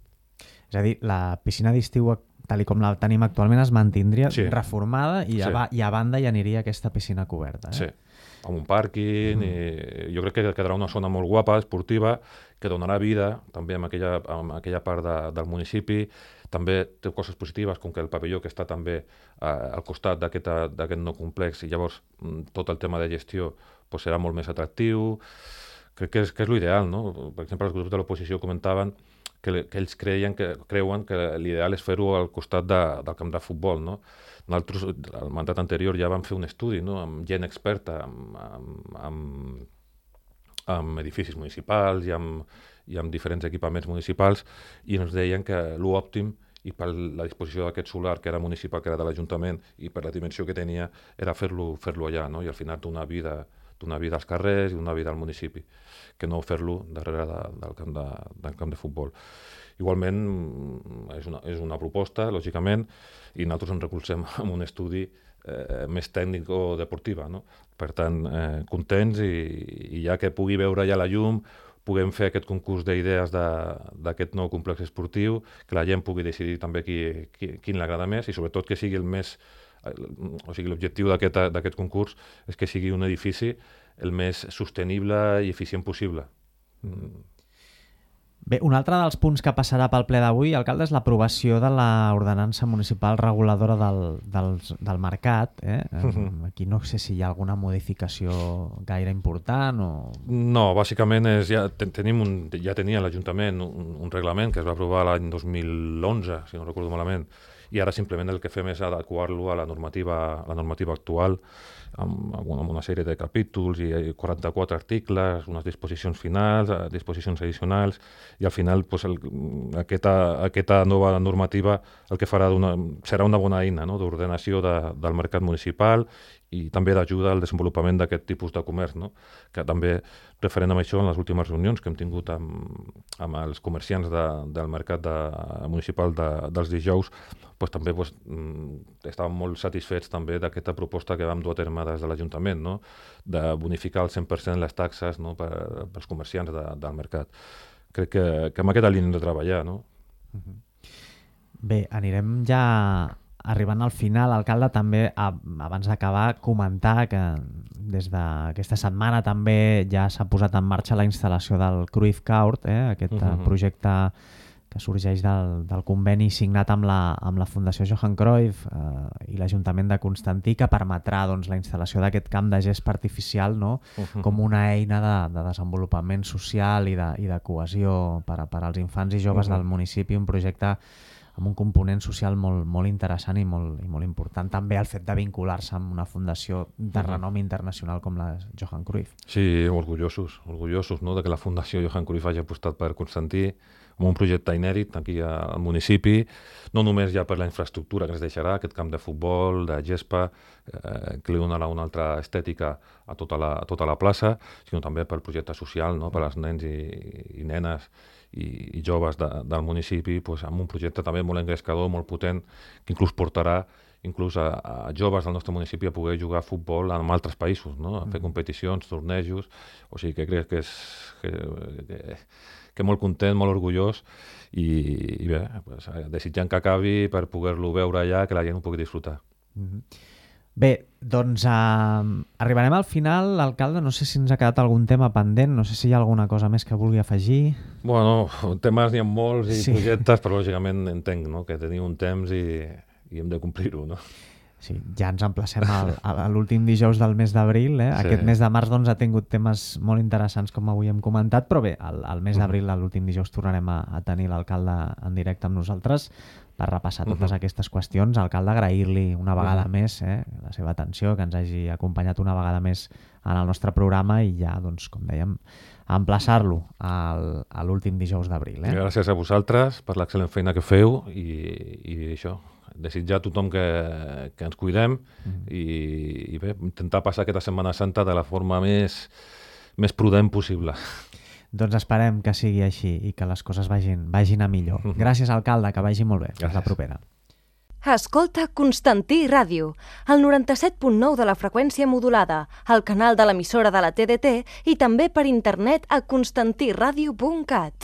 És a dir, la piscina d'estiu, tal com la tenim actualment, es mantindria sí. reformada i a, sí. i a banda hi aniria aquesta piscina coberta. Eh? Sí, amb un pàrquing, mm. i jo crec que quedarà una zona molt guapa, esportiva, que donarà vida també en aquella, en aquella part de, del municipi. També té coses positives, com que el pavelló que està també eh, al costat d'aquest nou complex, i llavors tot el tema de gestió pues, serà molt més atractiu. Crec que és, que és l'ideal, no? Per exemple, els grups de l'oposició comentaven que, que ells creien que, creuen que l'ideal és fer-ho al costat de, del camp de futbol, no? Nosaltres, al mandat anterior, ja vam fer un estudi, no? Amb gent experta, amb, amb, amb, amb edificis municipals i amb, i amb diferents equipaments municipals, i ens deien que l'òptim i per la disposició d'aquest solar, que era municipal, que era de l'Ajuntament, i per la dimensió que tenia, era fer-lo fer-lo allà, no? I al final donar vida, donar vida als carrers i donar vida al municipi, que no fer-lo darrere de, del, camp de, del camp de futbol. Igualment, és una, és una proposta, lògicament, i nosaltres ens recolzem en un estudi eh, més tècnic o deportiva, no? Per tant, eh, contents, i, i ja que pugui veure ja la llum, puguem fer aquest concurs d'idees d'aquest nou complex esportiu, que la gent pugui decidir també qui, qui, quin l'agrada més, i sobretot que sigui el més, o sigui, l'objectiu d'aquest concurs és que sigui un edifici el més sostenible i eficient possible. Mm. Bé, un altre dels punts que passarà pel ple d'avui, alcalde, és l'aprovació de l'ordenança municipal reguladora del, del, del mercat. Eh? Uh-huh. Aquí no sé si hi ha alguna modificació gaire important o... No, bàsicament és, ja, ten, tenim un, ja tenia l'Ajuntament un, un reglament que es va aprovar l'any dos mil onze, si no recordo malament, i ara simplement el que fem és adequar-lo a la normativa, a la normativa actual, amb, amb una sèrie de capítols i quaranta-quatre articles, unes disposicions finals, disposicions addicionals, i al final pues, el, aquesta, aquesta nova normativa el que farà una, serà una bona eina, no? D'ordenació de, del mercat municipal i també d'ajuda al desenvolupament d'aquest tipus de comerç, no? Que també, referent amb això, en les últimes reunions que hem tingut amb, amb els comerciants de, del mercat de, municipal de, dels dijous, pues, també pues, estàvem molt satisfets també d'aquesta proposta que vam dur a terme des de l'Ajuntament, no? De bonificar al cent per cent les taxes, no? per, pels comerciants de, del mercat. Crec que, que amb aquesta línia hem de treballar, no? Bé, anirem ja arribant al final, alcalde, també a, abans d'acabar comentar que des d'aquesta setmana també ja s'ha posat en marxa la instal·lació del Cruyff Court, eh? Aquest uh-huh. projecte que sorgeix del, del conveni signat amb la, amb la Fundació Johan Cruyff eh, i l'Ajuntament de Constantí, que permetrà doncs, la instal·lació d'aquest camp de gespa artificial, no? Uh-huh. Com una eina de, de desenvolupament social i de, i de cohesió per, a, per als infants i joves uh-huh. del municipi, un projecte amb un component social molt, molt interessant i molt, i molt important. També el fet de vincular-se amb una fundació de renom internacional com la Johan Cruyff. Sí, orgullosos, orgullosos no? de que la Fundació Johan Cruyff hagi apostat per Constantí amb un projecte inèdit aquí al municipi, no només ja per la infraestructura que ens deixarà, aquest camp de futbol, de gespa, eh, que li donarà una altra estètica a tota la, a tota la plaça, sinó també pel projecte social, no? per als nens i, i nenes i, i joves de, del municipi, pues, amb un projecte també molt engrescador, molt potent, que inclús portarà inclús a, a joves del nostre municipi a poder jugar a futbol en altres països, no? a fer competicions, tornejos, o sigui que crec que és que, que, que molt content, molt orgullós i, i bé, pues, desitjant que acabi per poder-lo veure allà, que la gent ho pugui disfrutar. Mm-hmm. Bé, doncs uh, arribarem al final, alcalde, no sé si ens ha quedat algun tema pendent, no sé si hi ha alguna cosa més que vulgui afegir. Bueno, temes n'hi ha molts i sí. projectes, però lògicament entenc no? que teniu un temps i, i hem de complir-ho, no? Sí, ja ens emplacem al, a l'últim dijous del mes d'abril. Eh? Sí. Aquest mes de març doncs, ha tingut temes molt interessants, com avui hem comentat, però bé, al, al mes d'abril, a l'últim dijous, tornarem a, a tenir l'alcalde en directe amb nosaltres per repassar totes uh-huh. aquestes qüestions. Alcalde, agrair-li una vegada uh-huh. més eh, la seva atenció, que ens hagi acompanyat una vegada més en el nostre programa i ja, doncs, com dèiem, emplaçar-lo al, a l'últim dijous d'abril. Eh? Gràcies a vosaltres per l'excel·lent feina que feu i, i això, desitjar a tothom que, que ens cuidem mm. i, i bé, intentar passar aquesta Setmana Santa de la forma més, més prudent possible. Doncs esperem que sigui així i que les coses vagin, vagin a millor. Mm-hmm. Gràcies, alcalde, que vagi molt bé. Gràcies. Fins la propera. Escolta Constantí Ràdio, el noranta-set punt nou de la freqüència modulada, el canal de l'emissora de la T D T i també per internet a constantí ràdio punt cat.